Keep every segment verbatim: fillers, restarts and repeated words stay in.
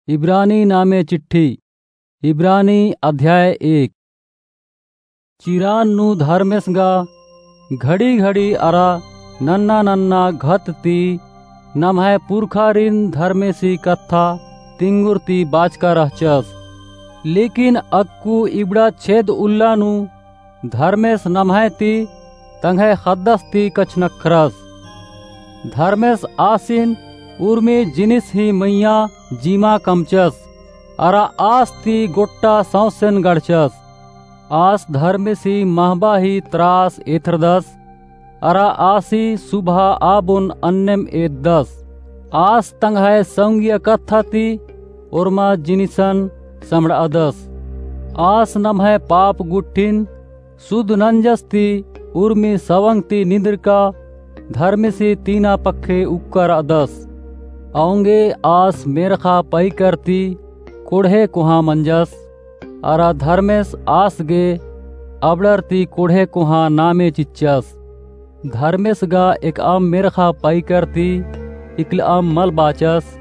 इब्रानी नामे चिट्ठी। इब्रानी अध्याय एक। चिरान नू धर्मेस गा घड़ी-घड़ी अरा नन्ना-नन्ना घत ती नम्है पुरखारिन धर्मेसी कत्था तिंगुर ती बाचका रहचस। लेकिन अक्कु इबड़ा छेद उल्ला नू धर्मेस नम्है ती तंग्है ख़द्दस ती कछनख्रस। धर्मेस आसिन उर्मी जिनिस ही मइय्याँ जिमा कमचस, अरा आस ती गोट्टा सौंसेन गड़चस। आस धर्मेसी महबा ही त्रास एथरदस, अरा आसी सुबहा आबोन अन्नेम एददस। आस तंग्है सौंगिया कत्था ती ओर्मा जिनिसन समड़ादस। आस नम्है पाप गुट्ठिन सुध नंजस ती उर्मी सवंग ती निंदरका धर्मेसी तीना पक्खे उक्का रअदस। औंगे आस मेर्ख़ा पैकर ती कोड़हे कोहाँ मंजस, अरा धर्मेस आस गे अबड़र ती कोड़हे कोहाँ नामे चिच्चस। धर्मेस गा एकअम मेर्ख़ा पैकर ती इकलअम मल बाचस,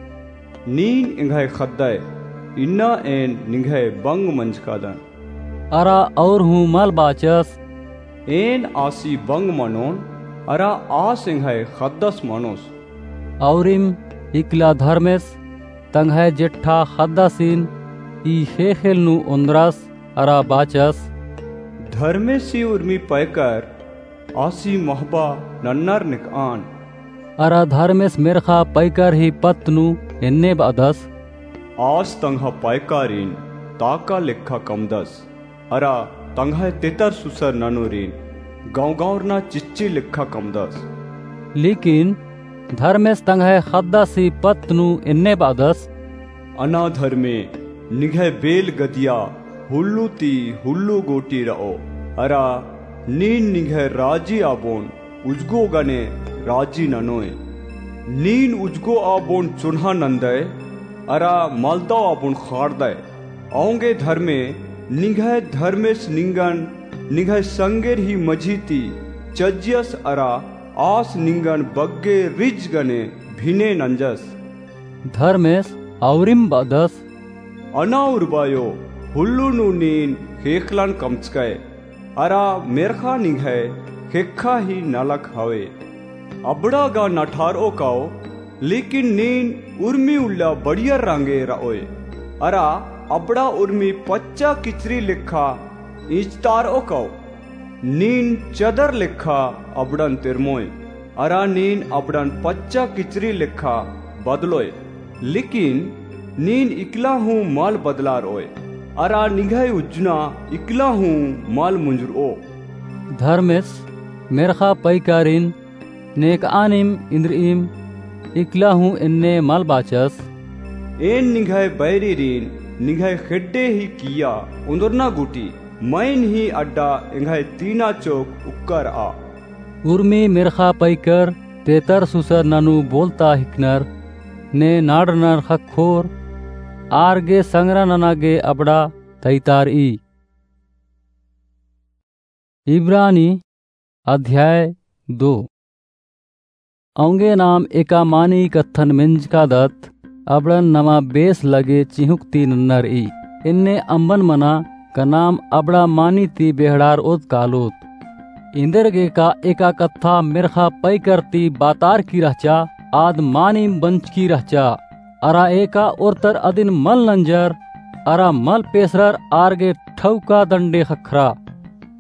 नीन एंग्है ख़द्दय, इन्ना एन निंग्है बंग मंजकादन। अरा और हूँ मल बाचस, एन आसी बंग मनोन, अरा आस एंग्है ख़द्दस मनोस। औरिम इकला धर्मेस तंग्है जेठा ख़द्दासिन ई ख़ेख़ेल नू ओन्द्रस अरा बाचस, धर्मेसी उर्मी पैकर आसी महबा नन्नर नेकआन। अरा धर्मेस मेर्ख़ा पैकर ही पत्त नू एन्ने बअदस, आस तंग्है पैकारिन ताका लेखा कमदस, अरा तंग्है तेतर सुसर ननोरिन गौंगौरना चिच्ची लेखा कमदस। लेकिन धर्मेस तंग्है ख़द्दासी पत्त नू एन्ने बअदस, अना धर्मे, निंग्है बेल गदिया हुल्लू ती हुल्लू गोटी रओ, अरा नीन निंग्है राजी आबोन उजगो गने राजी ननोय। नीन उजगो आबोन चोन्हा नंदय, अरा मलदव आबोन ख़ाड़दय। औंगे धर्मे, निंग्है धर्मेस निंगन निंग्है संगेर ही मझी ती चज्जियस, अरा आस निंगन बग्गे रिज गने भिने नंजस। धर्मेस औरिम बअदस, अना उर्बायो, हुल्लू नू नीन ख़ेख़लन कमचकय, अरा मेर्ख़ा निंग्है ख़ेख़ा ही नलख हवे। अबड़ा गा नठारओ काओ, लेकिन नीन उर्मी उल्ला बढ़ियर रंगे रओय, अरा अबड़ा उर्मी पच्चा किचरी लेखा इंचतारओ काओ। नीन चदर लेखा अबड़न तेरमोय, अरा नीन अबड़न पच्चा किचरी लेखा बदलोय, लेकिन नीन इकला हूँ मल बदलारओय, अरा निंग्है उज्जना इकला हूँ मल मुंजुरओ। धर्मेस मेर्ख़ा पैकारिन नेकआनिम इन्द्रिइम इकला हूँ एन्ने मल बाचस, एन निंग्है बैरिरिन निंग्है ख़ेड्डे ही किइय्या ओन्दरना गूटी मइन ही अड्डा एंग्है तीना चोक उक्का रआ। उर्मी मेर्ख़ा पैकर तेतर सुसर ननू बोलता हिकनर, ने नाड़रनर ख़क्खोर, आर गे संगरा नना गे अबड़ा तैतारई। इब्रानी अध्याय दो। औंगे नाम एका मानी कत्थन मेंजकादत, अबड़न नमा बेस लगे चिहुंक ती नन्नरई। एन्ने अम्बन मना का नाम अबड़ा मानी ती बेहड़ारओत कालोत। एन्देरगे का एका कत्था मेर्ख़ा पैकर ती बातारकी रहचा, आद मानिम बंचकी रहचा। अरा एका ओर्तर अदिन मल नंजर, अरा मल पेसरर आर गे ठौका दंडे ख़क्खरा।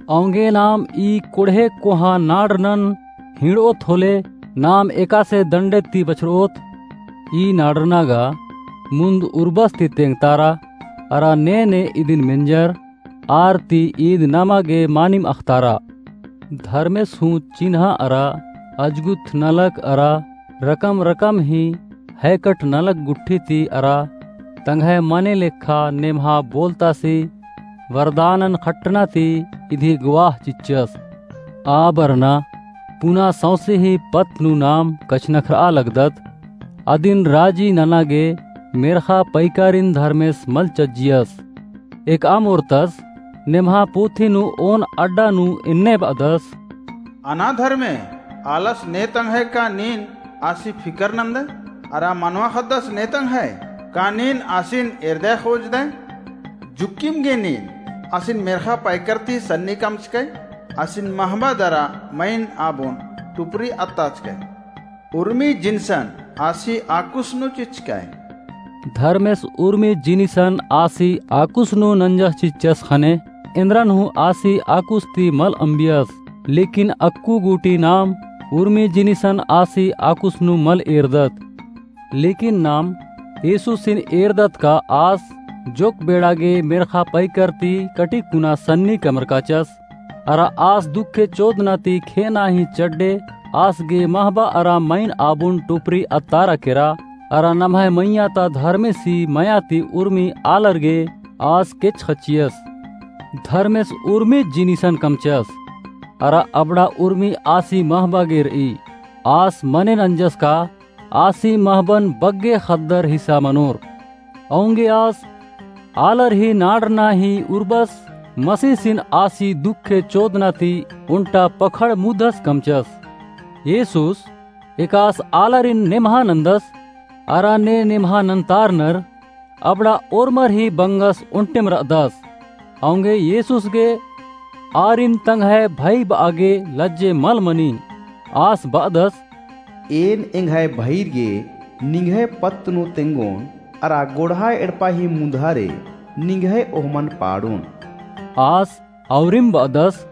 औंगे नाम ई कोड़हे कोहाँ नाड़रनन हिंड़ओत होले नाम एकासे दंडे ती बछरओत। ई नाड़रना गा मुन्द उर्बस ती तेंगतारा, अरा ने ने इदिन मेंजर, आर ती ईद नमा गे मानिम अख़तारा। धर्मेस हूँ चिन्हा अरा अजगुत नलख अरा रकम रकम ही हैकट नलख गुट्ठी ती अरा तंग्है मने लेखा नेम्हा बोलतासी वरदानन खट्टना ती इदी गवाह चिच्चस। आ बरना पुना सौंसे ही पत्त नू नाम कछनखरआ लगदत। अदिन राजी नना गे मेर्ख़ा पैकारिन धर्मेस मल चज्जियस। एकअम ओर्तस नेम्हा पुथी नू ओन अड्डा नू एन्ने बअदस, अना धर्मे, आलस ने तंग्है का नीन आसी फिकर नंदय? अरा मनवा ख़द्दस ने तंग्है? का नीन आसिन एरदय खोजदय? जुक्किम गे नीन आसिन मेर्ख़ा पैकर ती सन्नी कमचकय, आसिन महबा दरा मइन आबोन टुपरी अत्ताचकय। उर्मी जिनिसन आसी आकुस नू चिच्चकय। धर्मेस उर्मी जिनिसन आसी आकुस नू नंजस चिच्चस ख़ने एन्दरन हूँ आसी आकुस ती मल अम्बियस। लेकिन अक्कु गूटी नाम उर्मी जिनिसन आसी आकुस नू मल एरदत। लेकिन नाम येसुसिन एरदत का आस जोक बेड़ा गे मेर्ख़ा पैकर ती कटिक कुना सन्नी कमरकाचस। अरा आस दुखे चोदना ती खेअना ही चड्डे आस गे महबा अरा मइन आबुन टुपरी अत्तारा केरा। अरा नम्है मइय्याँ ता धर्मेसी मइय्याँ ती उर्मी आलर गे आस केच ख़च्चियस। धर्मेस उर्मी जिनिसन कमचस। अरा अबड़ा उर्मी आसी महबा गे रई। आस मने नंजस का आसी महबन बग्गे ख़द्दर हिस्सा मनोर। औंगे आस आलर ही नाड़ना ही उर्बस मसीसिन आसी दुखे चोदना ती ओन्टा पखड़ मुदस कमचस। येसुस एकास आलरिन नेम्हा नन्दस, अरा ने नेम्हा नन्तारनर अबड़ा ओर्मर ही बंगस ओन्टेम रअदस। औंगे येसुस गे आरिन तंग्है भई बआ गे लज्जे मल मनी। आस बअदस, एन एंग्है भईर गे निंग्है पत्त नू तेंगोन, अरा गोड़हा एड़पा ही मुन्धारे निंग्है ओहमन पाड़ोन। आस औरिम बअदस,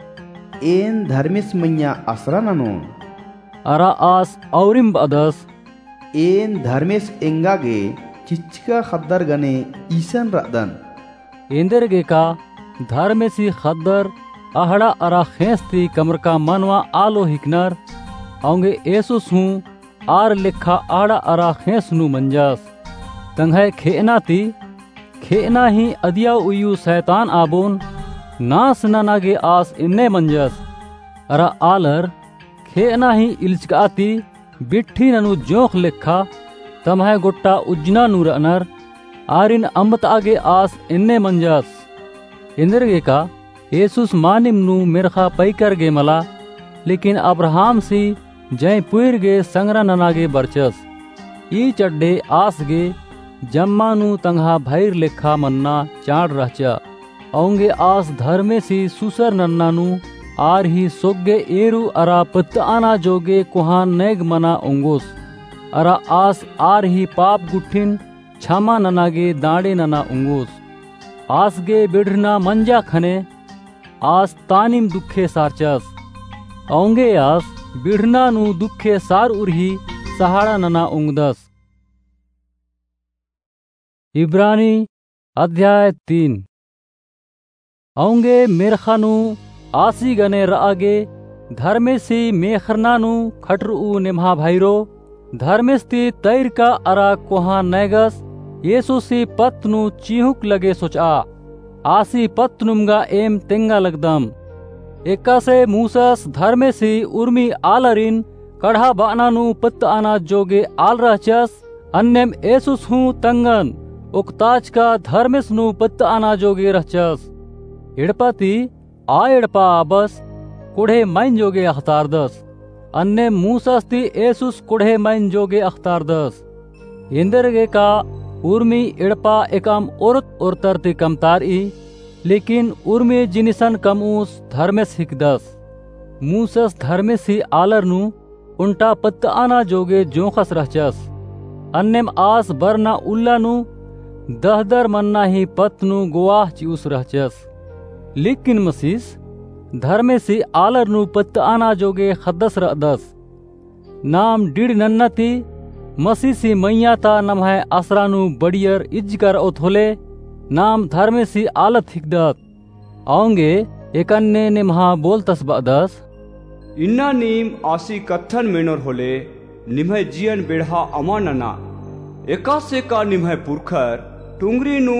एन धर्मेस मइय्याँ असरा ननोन। अरा आस औरिम बअदस, एन धर्मेस एंगा गे चिच्चका ख़द्दर गने ईसन रअदन। एन्देरगेका धर्मेसी ख़द्दर अहड़ा अरा ख़ेंस ती कमरका मनवा आलो हिकनर। औंगे येसुस हूँ आर लेखा अहड़ा अरा ख़ेंस नू मंजस। तंग्है खेअना ती खेअना ही अदिया उइयु सैतान आबोन नास नना गे आस एन्ने मंजस। अरा आलर खेअना ही इल्चका ती बिट्ठी ननू जोंख़ लेखा तम्है गोट्टा उज्जना नू रअनर। आरिन अम्बतआ गे आस एन्ने मंजस। एन्देरगेका येसुस मानिम नू मेर्ख़ा पैकर गे मला, लेकिन अब्राहमसी जैं पुइर गे संग्रा नना गे बरचस। ई चड्डे आस गे जम्मा नू तंग्हा भईर लेखा मन्ना चाड़ रहचा। औंगे आस धर्मेसी सुसर नन्ना नू आर ही सोग्गे एरू अरा पत्तआना जोगे कोहाँ नैग मना ओंगोस। अरा आस आर ही पाप गुट्ठिन छमा नना गे दांड़े नना ओंगोस। आस गे बिड़रना मंजा ख़ने आस तानिम दुखे सारचस। औंगे आस बिड़रना नू दुखे सारउर ही सहाड़ा नना ओंगदस। इब्रानी अध्याय तीन। औंगे मेर्ख़ा नू आसी गने रआ गे धर्मेसी मेख़रना नू खटरऊ नेम्हा भईरो, धर्मेस ती तैरका अरा कोहाँ नैगस येसुसी पत्त नू चिहुँक लगे सोचआ। आसी पत्त नुम गा एम तेंगा लगदम। एकासे मूसस धर्मेसी उर्मी आलरिन कड़हा बअना नू पत्तआना जोगे आल रहचस, अन्नेम येसुस हूँ तंगन ओक्ताचका धर्मेस नू पत्तआना जोगे रहचस। एड़पा ती आ एड़पा आबस कोड़हे मइन जोगे अख़तारदस। अन्नेम मूसस ती येसुस कोड़हे मइन जोगे अख़तारदस। एन्देरगेका उर्मी एड़पा एकअम ओरत ओरतर ती कमतारई, लेकिन उर्मी जिनिसन कमऊस धर्मेस हिकदस। मूसस धर्मेसी आलर नू ओन्टा पत्तआना जोगे जोंख़स रहचस। अन्नेम आस बरना उल्ला नू दहदर मन्ना ही पत्त नू गोवाह चिऊस रहचस। लेकिन मसीस धर्मेसी आलर नू पत्तआना जोगे ख़द्दस रअदस। नाम डिड़ नन्ना ती मसीसी मइय्याँ ता नम्है असरा नू बढ़ियर इज्जकर ओत होले, नाम धर्मेसी आलत हिकदत। औंगे एकअन्ने नेम्हा बोलतस बअदस, इन्ना नीम आसी कत्थन मेनोर होले, निम्है जियन बेड़हा अमा नना। एकासे का निम्है पुरखर टुंगरी नू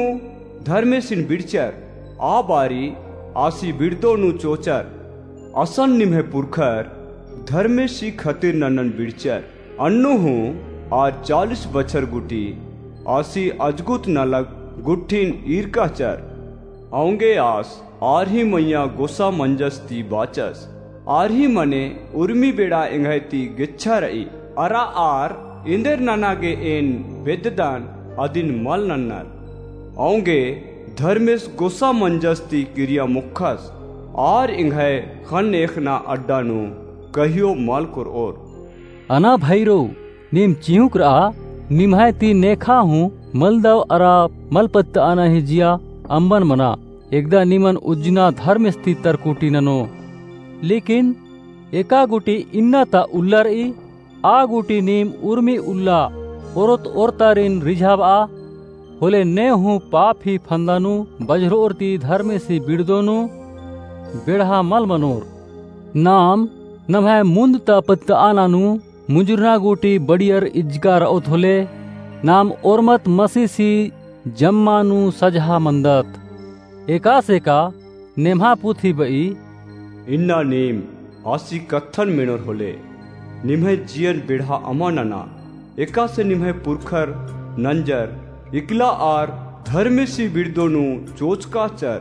धर्मेसिन बिड़चर, आ बारी आसी बिड़दो नू चोचर। असन निम्है पुरखर धर्मेसी खतिर ननन बिड़चर। अन्नु हूँ आर चालीस बछर गूटी आसी अजगुत नलख गुट्ठिन ईरकाचर। औंगे आस आर ही मइय्याँ गोसा मंजस ती बाचस। आर ही मने उर्मी बेड़ा एंग्है ती गेच्छा रई। अरा आर एन्देर नना गे एन बेद्ददन, अदिन मल नन्नर। औंगे धर्मेस गोसा मंजस ती किरिया मोख़स, आर एंग्है ख़न्न एख़ना अड्डा नू कहियो मल कोरओर। अना भइरो, नीम चिहुँक रआ, निम्है ती नेखा हूँ मलदव अरा मल पत्तअना ही जिया अम्बन मना। एकदा निमन उज्जना धर्मेस ती तरकुटी ननो। लेकिन एका गूटी इन्ना ता उल्ला रई, आ गूटी नीम उर्मी उल्ला ओरोत ओरतारिन रिझाबआ, होले ने हूँ पाप ही फंदा नू बझरओर ती धर्मेसी बिड़दो नू बेड़हा मल मनोर। नाम नम्है मुन्द ता पत्तअना नू मुंजुरना गूटी बड़ियर इजका रओत होले, नाम ओर्मत मसीसी जम्मा नू सजहा मन्दत। एकासे का नेम्हा पुथी बई, इन्ना नीम आसी कत्थन मेनोर होले, निम्है जियन बेड़हा अमा नना, एकासे निम्है पुरखर नंजर इकला आर धर्मेसी बिड़दो नू चोचकाचर।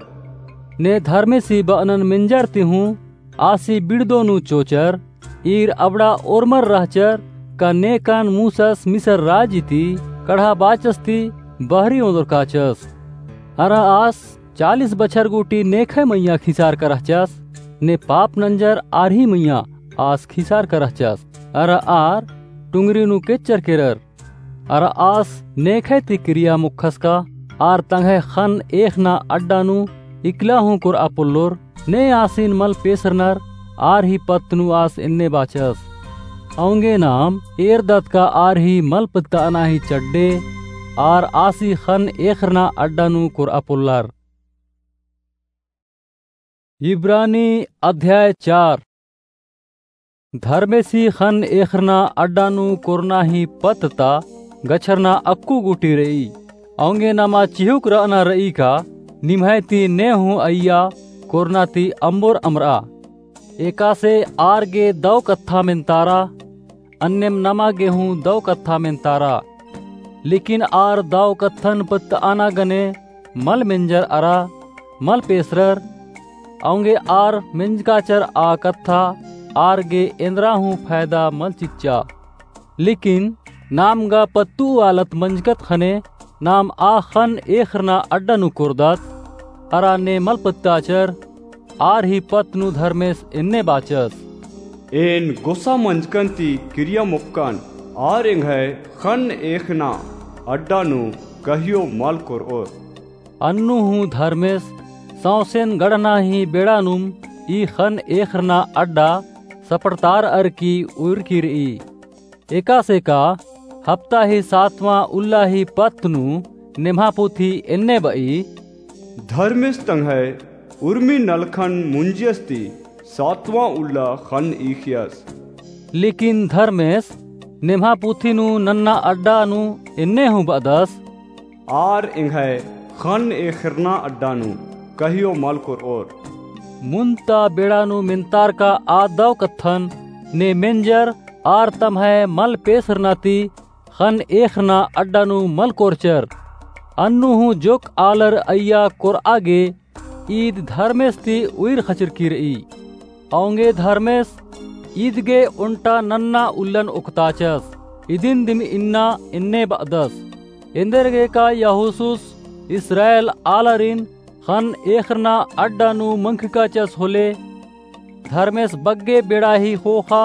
ने धर्मेसी बअनन मेंजर ती हूँ आसी बिड़दो नू चोचर, ईर अबड़ा ओर्मर रहचर, का नेकन मूसस मिसर राजी ती कड़हा बाचस ती बहरी ओन्दरकाचस। अरा आस चालीस बछर गूटी नेखय मइय्याँ खिसारका रहचस, ने पाप नंजर आर ही मइय्याँ आस खिसारका रहचस। अरा आर टुंगरी नू केच्चर केरर। अरा आस नेखय ती किरिया मोख़स का आर तंग्है ख़न्न एख़ना अड्डा नू इकला हूँ कोरआ पोल्लोर, ने आसिन मल पेसरनर, आर ही पत्त नू आस एन्ने बाचस। औंगे नाम एरदत का आर ही मल पत्तअना ही चड्डे, आर आसी ख़न्न एख़रना अड्डा नू कोरआ पोल्लर। इब्रानी अध्याय चार। धर्मेसी ख़न्न एख़रना अड्डा नू कोरना ही पत्त ता गछरना अक्कु गूटी रई। औंगे नमा चिहुँक रअना रई का निम्है ती ने हूँ अइय्या कोरना ती अम्बोर अमरआ। एकासे आर गे दौ कत्था मेन्तारा, अन्नेम नमा गे हूँ दौ कत्था मेन्तारा। लेकिन आर दौ कत्थन पत्तअना गने मल मेंजर अरा मल पेसरर। औंगे आर मेंजकाचर आ कत्था आर गे एन्दरा हूँ फैदा मल चिच्चा। लेकिन नाम गा पत्तुआलत मंजकत ख़ने नाम आ ख़न्न एख़रना अड्डा नू कोरदत, अरा ने मल पत्ताचर, आर ही पत्त नू धर्मेस एन्ने बाचस। एन गोसा मंजकन ती किरिया मोख़कन, आर एंग्है ख़न्न एख़ना अड्डा नू कहियो मल कोरओर। अन्नु हूँ धर्मेस सौंसेन गढ़ना ही बेड़ा नुम ई ख़न्न एख़रना अड्डा सपड़तारअर की उइरकी रई। एकासे का हप्ता ही सातवाँ उल्ला ही पत्त नू नेम्हा पुथी एन्ने बई, धर्मेस तंग्है उर्मी नलखन मुंजियस ती सातवाँ उल्ला ख़न्न ईख़ियस। लेकिन धर्मेस नेम्हा पुथी नू नन्ना अड्डा नू एन्ने हूँ बअदस, आर एंग्है ख़न्न एख़रना अड्डा नू कहियो मल कोरओर। मुन्द ता बेड़ा नू मेन्तारका आ दौ कत्थन ने मेंजर, आर तम्है मल पेसरना ती ख़न्न एख़रना अड्डा नू मल कोरचर। अन्नु हूँ जोक्क आलर अइय्या कोरआ गे ईद धर्मेस ती उइर ख़चरकी रई। औंगे धर्मेस ईद गे ओन्टा नन्ना उल्लन ओक्ताचस। इदिन दिम इन्ना एन्ने बअदस, एन्देरगेका यहोसुस इस्राएल आलारिन ख़न्न एख़रना अड्डा नू मंख़काचस होले, धर्मेस बग्गे बेड़ा ही ख़ोख़ा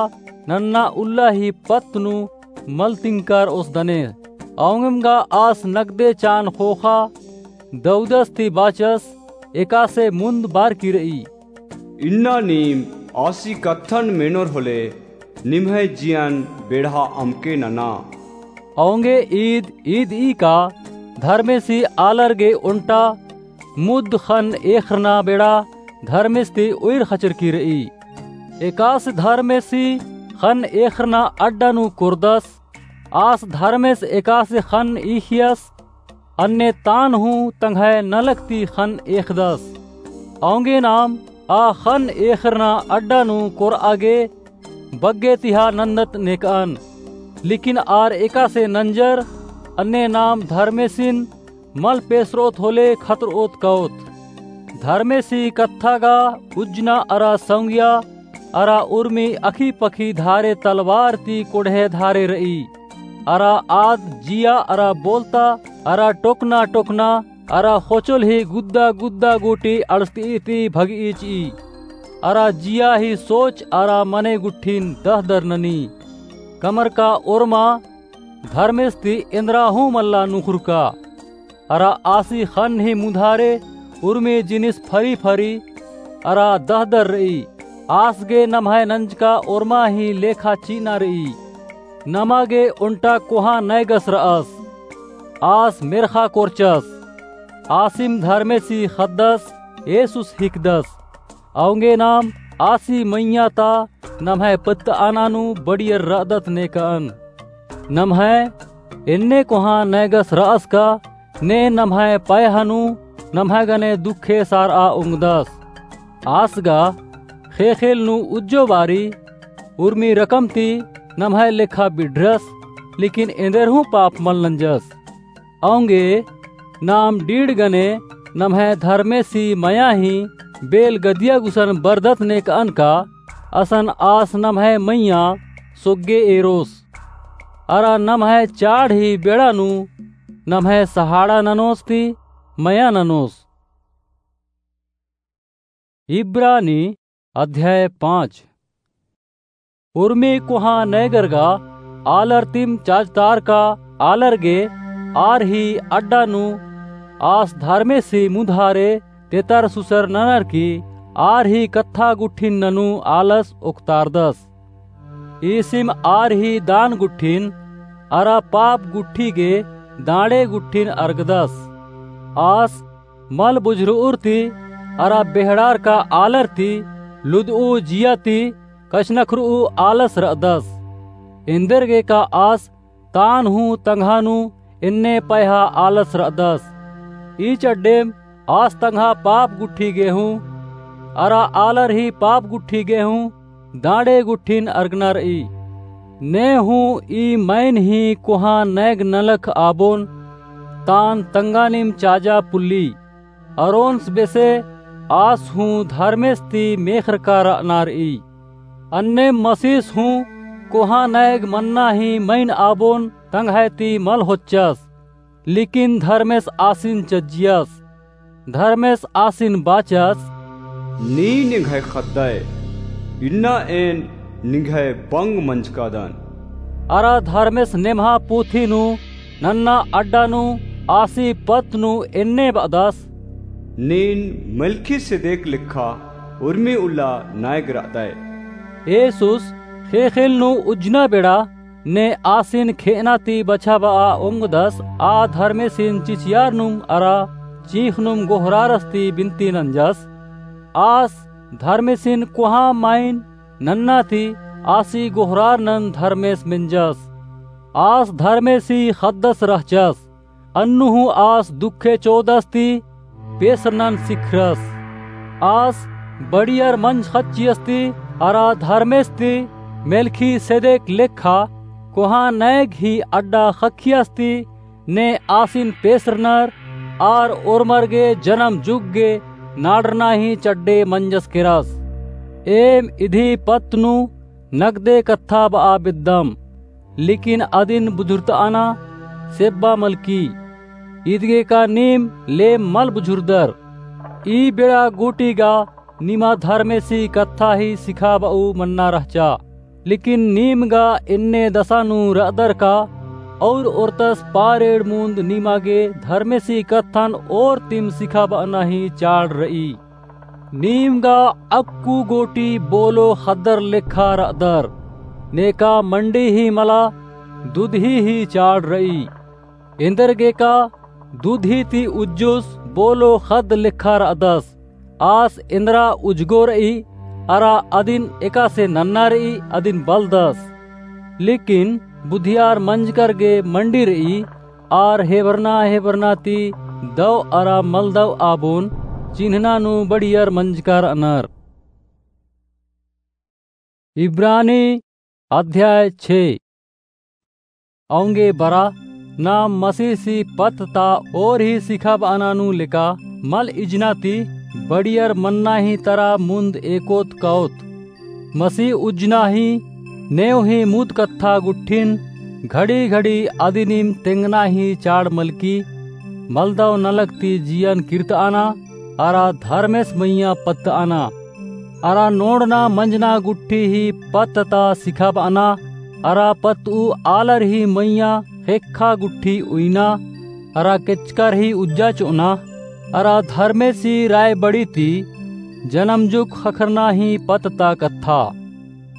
नन्ना उल्ला ही पत्त नू मल तिंकर ओसदने। औंगेम गा आस नगदे चान ख़ोख़ा दौदस ती बाचस, एकासे मुन्द बारकी रई। इन्ना नीम आसी कत्थन मेनोर होले, निम्है जियन बेड़हा अमके नना। औंगे ईद, ईद ई का धर्मेसी आलर गे ओन्टा मुद्द ख़न्न एख़रना बेड़ा धर्मेस ती उइर ख़चरकी रई। एकासे धर्मेसी ख़न्न एख़रना अड्डा नू कोरदस, आस धर्मेस एकासे ख़न्न ईख़ियस, अन्ने तान हूँ तंग्है नलख ती ख़न्न एख़दस। औंगे नाम आ ख़न्न एख़रना अड्डा नू कोरआ गे बग्गे तिहा नन्दत नेकअन। लेकिन आर एकासे नंजर, अन्ने नाम धर्मेसिन मल पेसरओत होले खतरओत काओत। धर्मेसी कत्था गा उज्जना अरा सौंगिया अरा उर्मी अखी पखी धारे तलवार ती कोड़हे धारे रई। अरा आद जिया अरा बोलता अरा टोकना टोकना अरा ख़ोचोल ही गुद्दा गुद्दा गूटी अंड़सतई ती भगई चिई। अरा जिया ही सोच अरा मने गुट्ठिन दहदर ननी। कमरका ओरमा धर्मेस ती एन्दरा हूँ मल्ला नुखुरका। अरा आसी ख़न्न ही मुधारे उर्मी जिनिस फरी फरी अरा दहदर रई। आस गे नम्है नंजका ओरमा ही लेखा चिअना रई। नमा गे ओन्टा कोहाँ नैगस रअस। आस मेर्ख़ा कोरचस। आसिम धर्मेसी ख़द्दस येसुस हिकदस। औंगे नाम आसी मइय्याँ ता नम्है पत्तअना नू बड़ियर रअदत नेकअन। नम्है एन्ने कोहाँ नैगस रअस का ने नम्है पैहा नू नम्है गने दुखे सारआ ओंगदस। आस गा ख़ेख़ेल नू उज्जो बारी उर्मी रकम ती नम्है लेखा बिढरस, लेकिन एन्देर हूँ पाप मल नंजस। औंगे नाम डीड़ गने नम्है धर्मेसी मया ही बेल गदिया गुसन बरदत नेकअन का असन आस नम्है मइय्याँ सोग्गे एरोस। अरा नम्है चाड़ ही बेड़ा नू नम्है सहाड़ा ननोस ती मया ननोस। इब्रानी अध्याय पाँच। उर्मी कोहाँ नैगर गा आलर तिम चाजतार का आलर गे आर ही अड्डा नू आस धर्मेसी मुधारे तेतर सुसर ननर की आर ही कत्था गुट्ठिन ननू आलस ओक्तारदस। ईसिम आर ही दान गुट्ठिन अरा पाप गुट्ठी गे दांड़े गुट्ठिन अरगदस। आस मल बुझुरउर ती अरा बेहड़ार का आलर ती लुदऊ जिया ती कछनखरऊ आलस रअदस। एन्देरगे का आस तान हूँ तंग्हा नू एन्ने पैहा आलस रअदस। ईच अड्डेम आस तंग्हा पाप गुट्ठी गे हूँ अरा आलर ही पाप गुट्ठी गे हूँ दांड़े गुट्ठिन अरगना रई। ने हूँ ई मैन ही कोहाँ नैग नलख आबोन तान तंगानिम चाजा पुल्ली। अरोन्स बेसे आस हूँ धर्मेस ती मेखरका रअना रई। अन्नेम मसीस हूँ कोहाँ नैग मन्ना ही मैन आबोन तंग्है ती मल होच्चस। लेकिन धर्मेस आसिन चज्जियस। धर्मेस आसिन बाचस, नीन निंग्है ख़द्दय, इन्ना एन निंग्है बंग मंजकादन। अरा धर्मेस नेम्हा पुथी नू नन्ना अड्डा नू आसी पत्त नू एन्ने बअदस, नीन मलखीसेदेक लेखा उर्मी उल्ला नैग रअदय। येसुस ख़ेख़ेल नू उज्जना बेड़ा ने आसिन खेअना ती बछाबआ ओंगदस, आ धर्मेसिन चिचियारनुम अरा चींख़नुम गोहरारस ती बिनती नंजस। आस धर्मेसिन कोहाँ माइन नन्ना ती आसी गोहरारनन धर्मेस मेंजस। आस धर्मेसी ख़द्दस रहचस। अन्नु हूँ आस दुखे चोदस ती पेसरनन सिखरस। आस बड़ियर मंजखच्चियस ती अरा धर्मेस ती मेलखीसेदेक लेखा कोहाँ नैग ही अड्डा ख़क्खियस ती ने आसिन पेसरनर आर ओर्मर गे जनम जुग गे नाड़रना ही चड्डे मंजस केरस। एम इदी पत्त नू नगदे कत्था बआ बेद्दम, लेकिन अदिन बुझुरतअना सेब्बा मलकी। इदगे का नीम लेम मल बुझुरदर। ई बेड़ा गूटी गा निमा धर्मेसी कत्था ही सिखाबऊ मन्ना रहचा। लेकिन नीम गा एन्ने दसा नू रअदर का और ओर्तस पारेड़ मुन्द निमा गे धर्मेसी कत्थन और तिम सिखाबअना ही चाड़ रई। नीम गा अक्कु गूटी बोलो ख़द्दर लेखा रअदर, नेका मंडी ही मला दुदही ही चाड़ रई। एन्देरगे का दुदही ती उज्जुस बोलो ख़द्द लेखा रअदस। आस एन्दरा उज्जगो रई, अरा अदिन एकासे नन्ना रई, अदिन बलदस। लेकिन बुधियार मंजकर गे मंडी रई, आर हेबरना हेबरना ती दव अरा मलदव आबोन चिन्हना नू बड़ियर मंजका रअनर। इब्रानी अध्याय छे। औंगे बरा, नाम मसीहसी पत्त ता और ही सिखाबअना नू लेका मल इजना ती बड़ियर मन्ना ही तरा मुन्द एकोत काओत। मसीह उज्जना ही नेव ही मुद कत्था गुट्ठिन घड़ी घड़ी अदिनिम तेंगना ही चाड़ मलकी, मलदव नलख ती जियन किर्तआना, अरा धर्मेस मइय्याँ पत्तआना। अरा नोड़ना मंजना गुट्ठी ही पत्त ता सिखाबअना, अरा पत्तऊ आलर ही मइय्याँ ख़ेक्खा गुट्ठी उइना, अरा केचकर ही उज्जा चोअना, अरा धर्मेसी रायबड़ी ती जनमजुग ख़क्खरना ही पत्त ता कत्था।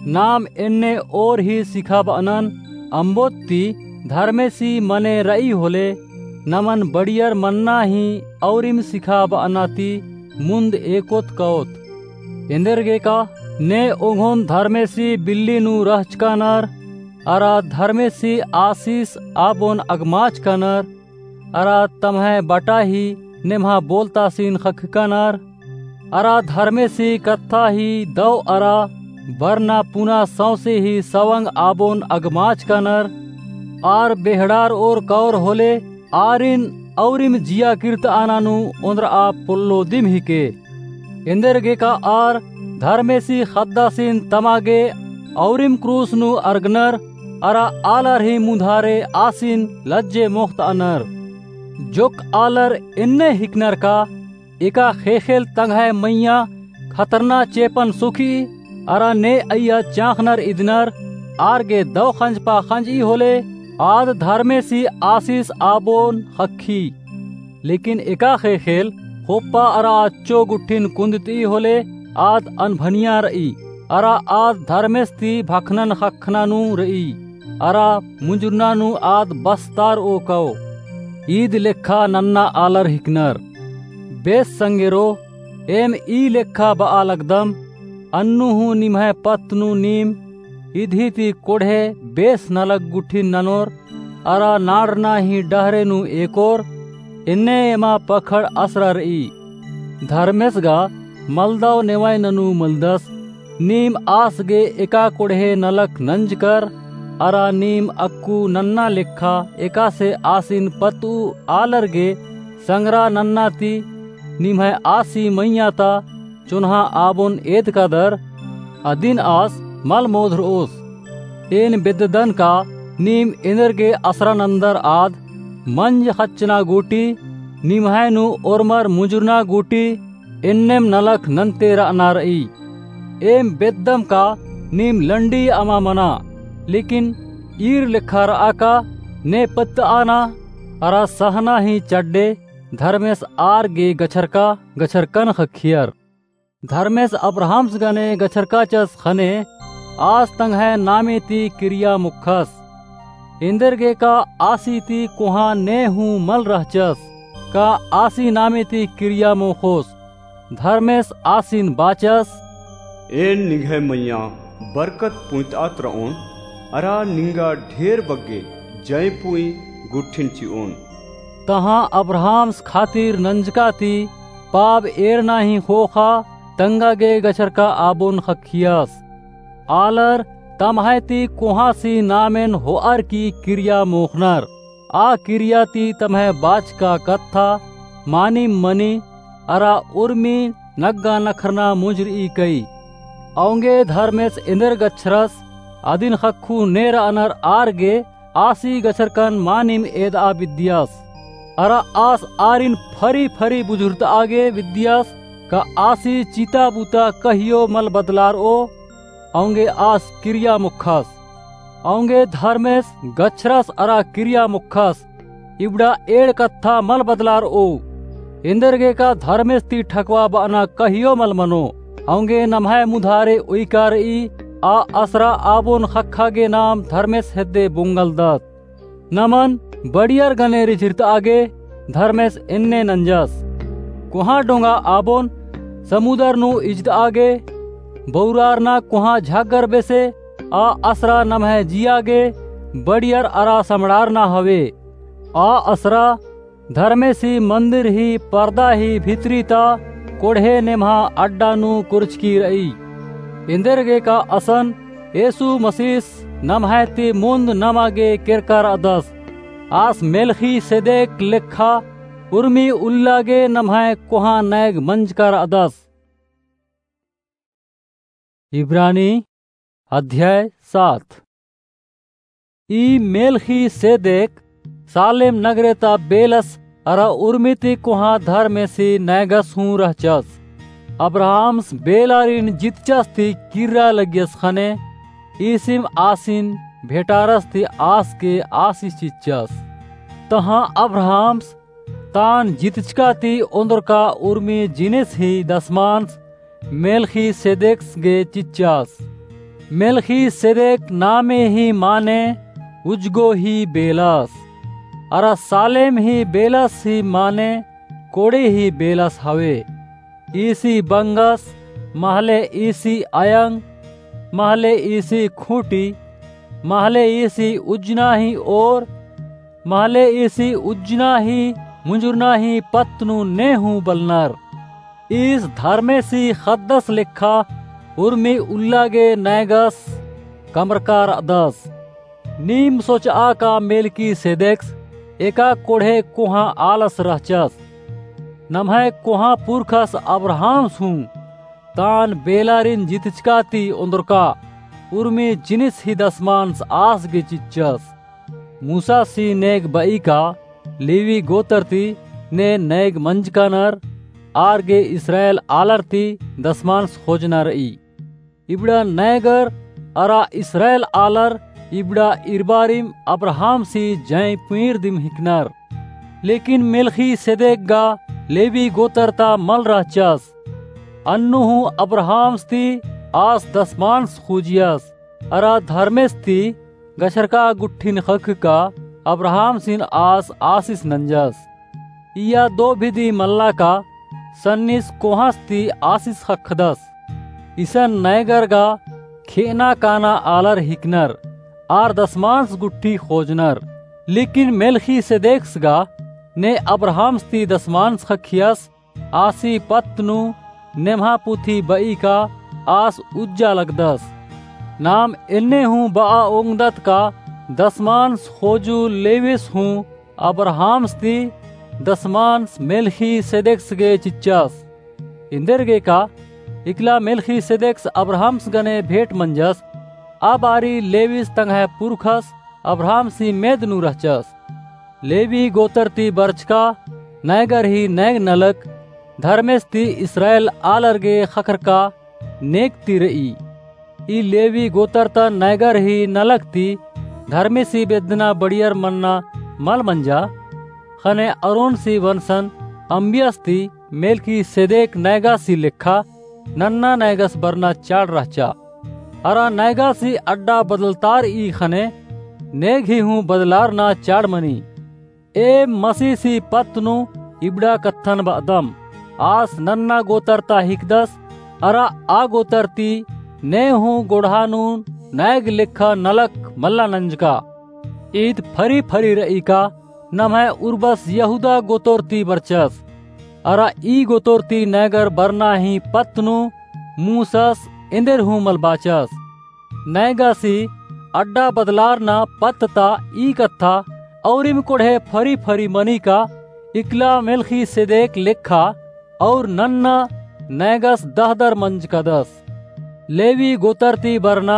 नाम एन्ने ओर ही सिखाबअनन, अम्बोत ती धर्मेसी मने रई होले, नमन बड़ियर मन्ना ही औरिम सिखाबअना ती मुन्द एकोत कओत। एन्देरगेका ने ओंघोन धर्मेसी बिल्ली नू रहचकानर, अरा धर्मेसी आसिस आबोन अगमाचकानर, अरा तम्है बटा ही नेम्हा बोलतासिन ख़क्खकानर, अरा धर्मेसी कत्था ही दव अरा बरना पुना सौंसे ही सवंग आबोन अगमाचकानर, आर बेहड़ार ओर कओर होले, आरिन औरिम जिया किर्तआना नू ओन्द्रआ पोल्लो दिम हिके। एन्देरगेका आर धर्मेसी ख़द्दासिन तमा गे औरिम क्रूस नू अरगनर, अरा आलर ही मुधारे आसिन लज्जे मोख़तअनर। जोक आलर एन्ने हिकनर का, एका ख़ेख़ेल तंग्है मइय्याँ खतरना चेपन सुखी, अरा ने अइय्या चाँख़नर इदनर, आर गे दव ख़ंजपा ख़ंजई होले, आद धर्मेसी आसिस आबोन ख़क्खी। लेकिन एका ख़ेख़ेल ख़ोप्पा अरा अच्छो गुट्ठिन कुन्दतई होले, आद अनभनिया रई, अरा आद धर्मेस ती भखनन ख़क्खना नू रई, अरा मुंजुरना नू आद बस्तारओ कओ। ईद लेखा नन्ना आलर हिकनर। बेस संगेरो, एम ई लेखा बआ लगदम, अन्नु हूँ निम्है पत्त नू नीम इदी ती कोड़हे बेस नलख गुट्ठिन ननोर, अरा नाड़रना ही डहरे नू एकोर, एन्ने एमा पखड़ असरा रई। धर्मेस गा मलदव नेवय ननू मलदस, नीम आस गे एका कोड़हे नलख नंजकर, अरा नीम अक्कु नन्ना लेखा एकासे आसिन पत्तऊ आलर गे संगरा नन्ना ती निम्है आसी मइय्याँ ता चोन्हा आबोन एदकादर, अदिन आस मल मोधरओस। एन बेद्ददन का नीम एन्देरगे असरा नन्दर आद, मंज ख़च्चना गूटी, निम्है नू ओर्मर मुंजुरना गूटी, एन्नेम नलख नन्ते रअना रई। एम बेद्दम का नीम लंडी अमा मना, लेकिन ईर लेखा रआ का ने पत्तआना, अरा सहना ही चड्डे, धर्मेस आर गे गछरका गछरकन ख़क्खियर। धर्मेस अब्राहमस गने गछरकाचस ख़ने, आस तंग्है नामे ती किरिया मोख़स। एन्देरगेका आसी ती कोहाँ ने हूँ मल रहचस, का आसी नामे ती किरिया मोख़ोस? धर्मेस आसिन बाचस, एन निंग्है मइय्याँ बरकत पुंइतआत रओन, अरा निंगा ढेर बग्गे जंय पुंई गुट्ठिन चिओन। तहाँ अब्राहमस खातिर नंजका ती पाप एरना ही ख़ोख़ा तंगा गे गछरका आबोन ख़क्खियस। आलर तम्है ती कोहाँसी नामेन होअर की किरिया मोख़नर। आ किरिया ती तम्है बाचका कत्था मानिम मनी, अरा उर्मी नग्गा नखरना मुंजरई कई। औंगे धर्मेस एन्देर गछरस, अदिन ख़क्खु ने रअनर आर गे आसी गछरकन मानिम एदआ बिद्दियस। अरा आस आरिन फरी फरी बुझुरतआ गे बिद्दियस, का आसी चिता बुता कहियो मल बदलारओ, औंगे आस किरिया मोख़स। औंगे धर्मेस गछरस अरा किरिया मोख़स, इबड़ा एंड़ कत्था मल बदलारओ। एन्देरगेका धर्मेस ती ठकवा बअना कहियो मल मनो। औंगे नम्है मुधारे उइका रई, आ असरा आबोन ख़क्खा गे नाम धर्मेस हेद्दे बोंगलदत। नमन बड़ियर गने रिझिरतआ गे धर्मेस एन्ने नंजस। कोहाँ डोंगा आबोन समुदर नू इजतआ गे, बौरारना कोहाँ झागर बेसे, आ असरा नम्है जिया गे बड़ियर अरा समड़ारना हवे। आ असरा धर्मेसी मन्दिर ही परदा ही भितरी ता कोड़हे नेम्हा अड्डा नू कुरचकी रई। एन्देरगेका असन येसु मसीस नम्है ती मुन्द नमा गे केरका रअदस। आस मेलखीसेदेक लेखा उर्मी उल्ला गे नम्है कोहाँ नैग मंजका रअदस। इब्रानी अध्याय सात। ई मेलखीसेदेक सालेम नगरे ता बेलस अरा उर्मी ती कोहाँ धर्मेसी नैगस हूँ रहचस। अब्राहम्स बेलारिन जितचस ती किर्रा लगियस ख़ने ईसिम आसिन भेंटारस ती आस गे आसिस चिच्चस। तहाँ अब्राहम्स तान जितचका ती ओन्द्रका उर्मी जिनिस ही दसमांस मेलखीसेदेकस गे चिच्चस। मेलखीसेदेक नामे ही माने उजगो ही बेलस। अरा सालेम ही बेलस ही माने कोड़े ही बेलस हवे। ईसी बंगस, महले ईसी अयंग, महले ईसी खूंटी, महले ईसी उज्जना ही ओर, महले ईसी उज्जना ही मुंजुरना ही पत्त नू ने हूँ बलनर। ईस धर्मेसी ख़द्दस लेखा उर्मी उल्ला गे नैगस कमरका र'अदस। नीम सोच'आ का मेलखीसेदेकस एका कोड़हे कोहाँ आलस रहचस। नम्है कोहाँ पुरखस अब्राहम्स हूँ तान बेलारिन जितचका ती ओन्द्रका उर्मी जिनिस ही दसमांस आस गे चिच्चस। मूसासी नेग ब'ई का लेवी गोतर ती ने नैग मंजका नर आर गे इस्राएल आलर ती दसमांस खोजना र'ई। इबड़ा नैगर अरा इस्राएल आलर इबड़ा इरबारिम अब्राहम्सी जैं पुइंर दिम हिकनर। लेकिन मेलखीसेदेक गा लेवी गोतर ता मल रहचस। अन्नु हूँ अब्राहम्स ती आस दसमांस खोजियस। अरा धर्मेस ती गछरका गुट्ठिन ख़क्खका अब्राहम्सिन आस आसिस नंजस। इय्या दो बिदी मल्ला का सन्निस कोहाँस ती आसिस ख़क्खदस। इसन नैगर गा खे'अना काना आलर हिकनर आर दसमांस गुट्ठी खोजनर। लेकिन मेलखीसेदेकस गा ने अब्राहम्स ती दसमांस ख़क्खियस। आसी पत्त नू नेम्हा पुथी ब'ई का आस उज्जा लगदस। नाम एन्ने हूँ ब'आ ओंगदत का दसमांस खोजु लेविस हूँ अब्राहम्स ती दसमांस मेलखीसेदेकस गे चिच्चस। एन्देरगे का इकला मेलखीसेदेकस अब्राहम्स गने भेंट मंजस। आ बारी लेविस तंग्है पुरखस अब्राहम्सी मेद नू रहचस। लेवी गोतर ती बरचका नैगर ही नैग नलख धर्मेस ती इस्राएल आलर गे ख़क्खरका नेग ती र'ई। ई लेवी गोतर ता नैगर ही नलख ती धर्मेसी बेद्दना बड़ियर मन्ना मल मंजा। ख़ने अरोनसी वंसन अम्बियस ती मेलखीसेदेक नैगासी लेखा नन्ना नैगस बरना चाड़ रहचा। अरा नैगासी अड्डा बदलतार'ई ख़ने नेग ही हूँ बदलारना चाड़ मनी। एम मसीसी पत्त नू इबड़ा कत्थन ब'अदम। आस नन्ना गोतर ता हिकदस, अरा आ गोतर ती ने हूँ गोड़हा नू नैग लेखा नलख मल्ला नंजका। ईद फरी फरी र'ई का नम्है उर्बस यहूदा गोतर ती बरचस। अरा ई गोतर ती नैगर बरना ही पत्त नू मूसस एन्देर हूँ मल बाचस। नैगासी अड्डा बदलारना पत्त ता ई कत्था औरिम कोड़हे फरी फरी मनी का इकला मेलखीसेदेक लेखा और नन्ना नैगस दहदर मंजकदस। लेवी गोतर ती बरना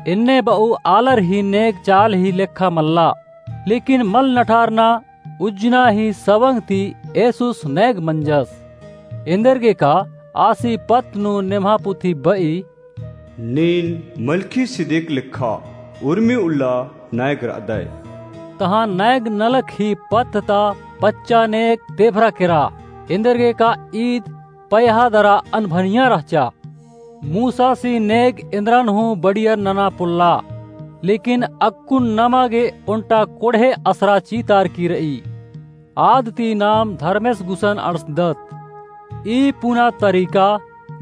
एन्ने ब'ऊ आलर ही नेग चाल ही लेखा मल्ला। लेकिन मल नठारना उज्जना ही सवंग ती एसुस नैग मंजस। एन्देरगे का आसी पत्त नू नेम्हा पुथी ब'ई, नीन मलखीसिदेक लेखा उर्मी उल्ला नैग र'अदय। तहाँ नैग नलख ही पत्त ता पच्चा नेग तेभरा केरा। एन्देरगे का ईद पयहा दरा अनभनिया रहचा। मूसासी नेग एन्द्रन हूँ बड़ियर नना पोल्ला। लेकिन अक्कुन नमा गे ओन्टा कोड़हे असरा चीतारकी र'ई। आद ती नाम धर्मेस गुसन अंड़सदत। ई पुना तरीका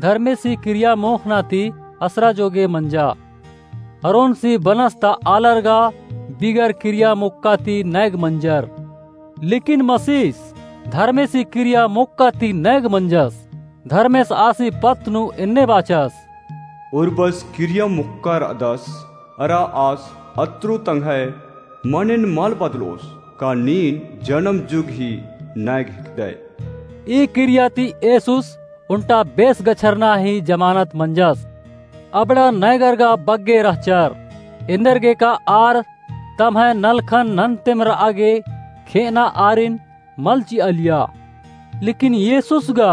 धर्मेसी किरिया मोख़ना ती असरा जोगे मंजा। अरोनसी बनस ता आलर गा बिगर किरिया मोक्का ती नैग मंजर। लेकिन मसीस धर्मेसी किरिया मोक्का ती नैग मंजस। धर्मेस आसी पत्त नू एन्ने बाचस, उर्बस किरिया मोक्का र'अदस, अरा आस अत्रु तंग्है मनेन मल बदलोस, का नीन जनम जुग ही नैग हिकदय। ई किरिया ती एसुस ओन्टा बेस गछरना ही जमानत मंजस। अबड़ा नैगर गा बग्गे रहचर। एन्देरगे का आर तम्है नलखन नन्तेम र'आ गे खे'अना आरिन मल चिआलिया। लेकिन येसुस गा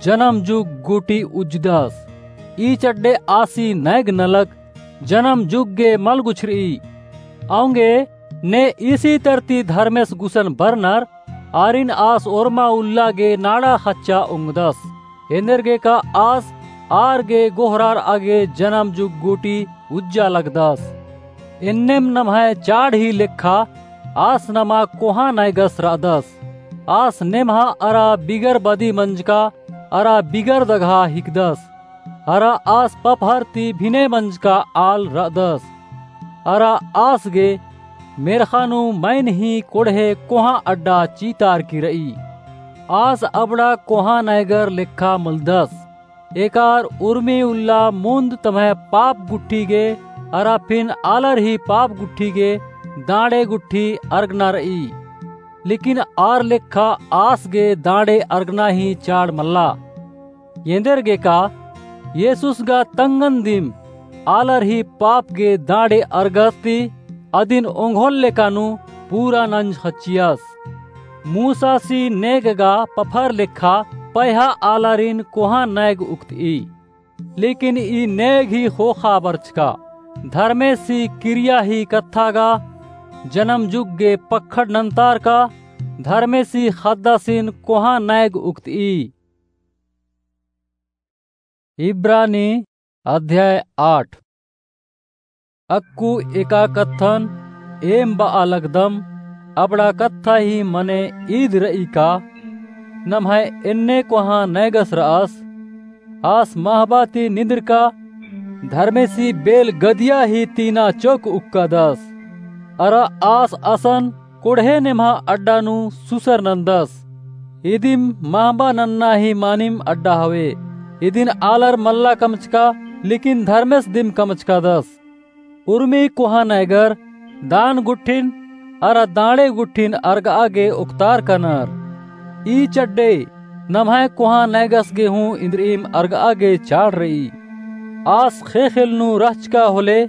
जनम जुग गूटी उज्जदस। ई चड्डे आसी नैग नलख जनम जुग गे मल गुछरई। औंगे ने ईसी तरती धर्मेस गुसन बरनर, आरिन आस ओर्मा उल्ला गे नाड़ा ख़च्चा ओंगदस। एन्देरगे का आस आर गे गोहरारआ गे जनम जुग गूटी उज्जा लगदस। एन्नेम नम्है चाड़ ही लेखा आस नमा कोहाँ नैगस रअदस। आस नेम्हा अरा बिगर बदी मंजका अरा बिगर दगहा हिकदस। अरा आस पपहर ती भिने मंजका आल रअदस। अरा आस गे मेर्ख़ा नू मइन ही कोड़हे कोहाँ अड्डा चीतारकी रई। आस अबड़ा कोहाँ नैगर लेखा मलदस। एकार उर्मी उल्ला मुन्द तम्है पाप गुट्ठी गे अरा फिन आलर ही पाप गुट्ठी गे दाँड़े गुट्ठी अर्गना रई। लेकिन आर लेखा आस गे दाँड़े अर्गना ही चाड़ मल्ला। एन्देरगे का येसुस गा तंगन दिम आलर ही पाप गे दाँड़े अर्गस ती अदिन ओंघोन लेका नू पूरा नंज ख़च्चियस। मूसासी नेग गा पफर लेखा पैहा आलारिन कोहाँ नैग उक्तई। लेकिन ई नेग ही ख़ोख़ा बरचका, धर्मेसी किरिया ही कत्था गा, जनम जुग गे पक्खड़ नन्तारका, धर्मेसी ख़द्दासिन कोहाँ नैग उक्तई। इब्रानी अध्याय आठ। अक्कु एका कत्थन एम बआ लगदम, अबड़ा कत्था ही मने ईद रई का, नम्है एन्ने कोहाँ नैगस रअस, आस महबा ती निंदरका, धर्मेसी बेल गदिया ही तीना चोक उक्कादस। अरा आस असन कोड़हे नेम्हा अड्डा नू सुसर नन्दस। इदिम महबा नन्ना ही मानिम अड्डा हवे। इदिन आलर मल्ला कमचका, लेकिन धर्मेस दिम कमचकादस। उर्मी कोहाँ नैगर दान गुट्ठिन अरा दाँड़े गुट्ठिन अर्गआ गे ओक्तारका नर। ई चड्डे नम्है कोहाँ नैगस गे हूँ इन्द्रिइम अर्गआ गे चाड़ रई। आस ख़ेख़ेल नू रहचका होले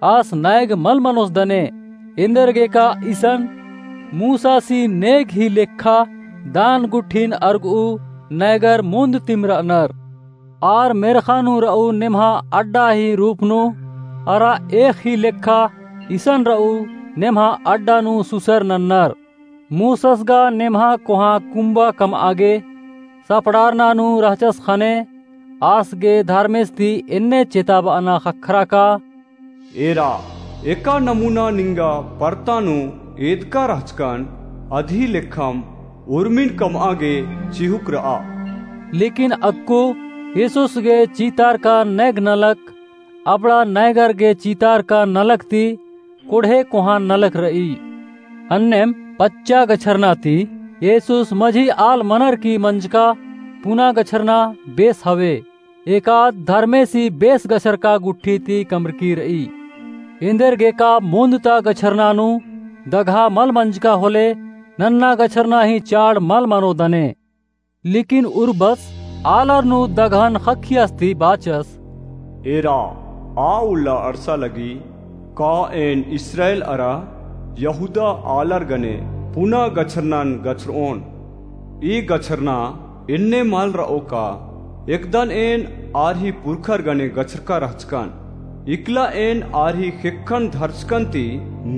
आस नैग मल मनोस दने, एन्देरगे का इसन मूसासी नेग ही लेखा दान गुट्ठिन अर्गऊ नैगर मुन्द तिम रअनर। आर मेर्ख़ा नू रऊ नेम्हा अड्डा ही रूप नू अरा एख़ ही लेखा इसन रऊ नेम्हा अड्डा नू सुसर नन्नर। मूसस गा नेम्हा कोहाँ कुम्बा कमआ गे सपड़ारना नू रहचस ख़ने आस गे धर्मेस ती एन्ने चेताबअना ख़क्खरा का, एरा, एका नमूना निंगा परता नू एदका रहचकन, अदही लेखम उर्मिन कमआ गे चिहुक रआ। लेकिन अक्कु येसुस गे चीतारका नैग नलख अबड़ा नैगर गे चीतारका नलख ती कोड़हे कोहाँ नलख रई। अन्नेम पच्चा गछरना ती येसुस मझी आल मनर की मंजका पुना गछरना बेस हवे। एकाद धर्मेसी बेस गछरका गुट्ठी ती कमरकी रई। एन्देरगे का मुन्द ता गछरना नू दगहा मल मंजका होले नन्ना गछरना ही चाड़ मल मनो दने। लेकिन उर्बस आलर नू दगहन ख़क्खियस ती बाचस, एरा, आ उल्ला अंड़सा लगी का एन इस्राएल अरा यहूदा आलर गने पुना गछरनन गछरओन। ई गछरना एन्ने मल रओ का, एकदन एन आर ही पुरखर गने गछरका रहचकन। इकला एन आर ही ख़ेक्खन धरचकन ती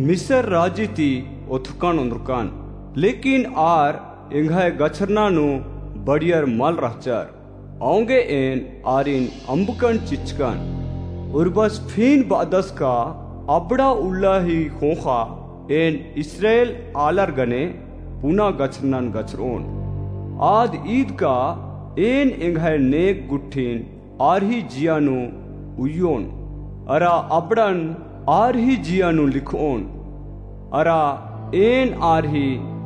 मिसर राजी ती ओथरकन ओन्द्रकन। लेकिन आर एंग्है गछरना नू बढ़ियर मल रहचर। औंगे एन आरिन अम्बकन चिच्चकन। उर्बस फिन बअदस का अबड़ा उल्ला ही ख़ोख़ा एन इस्राएल आलर गने पुना गछरनन गछरओन। आद ईद का एन एंग्है नेग गुट्ठिन आर ही जिया नू उइयोन, अरा अबड़न आर ही जिया नू लिखओन, अरा एन आर ही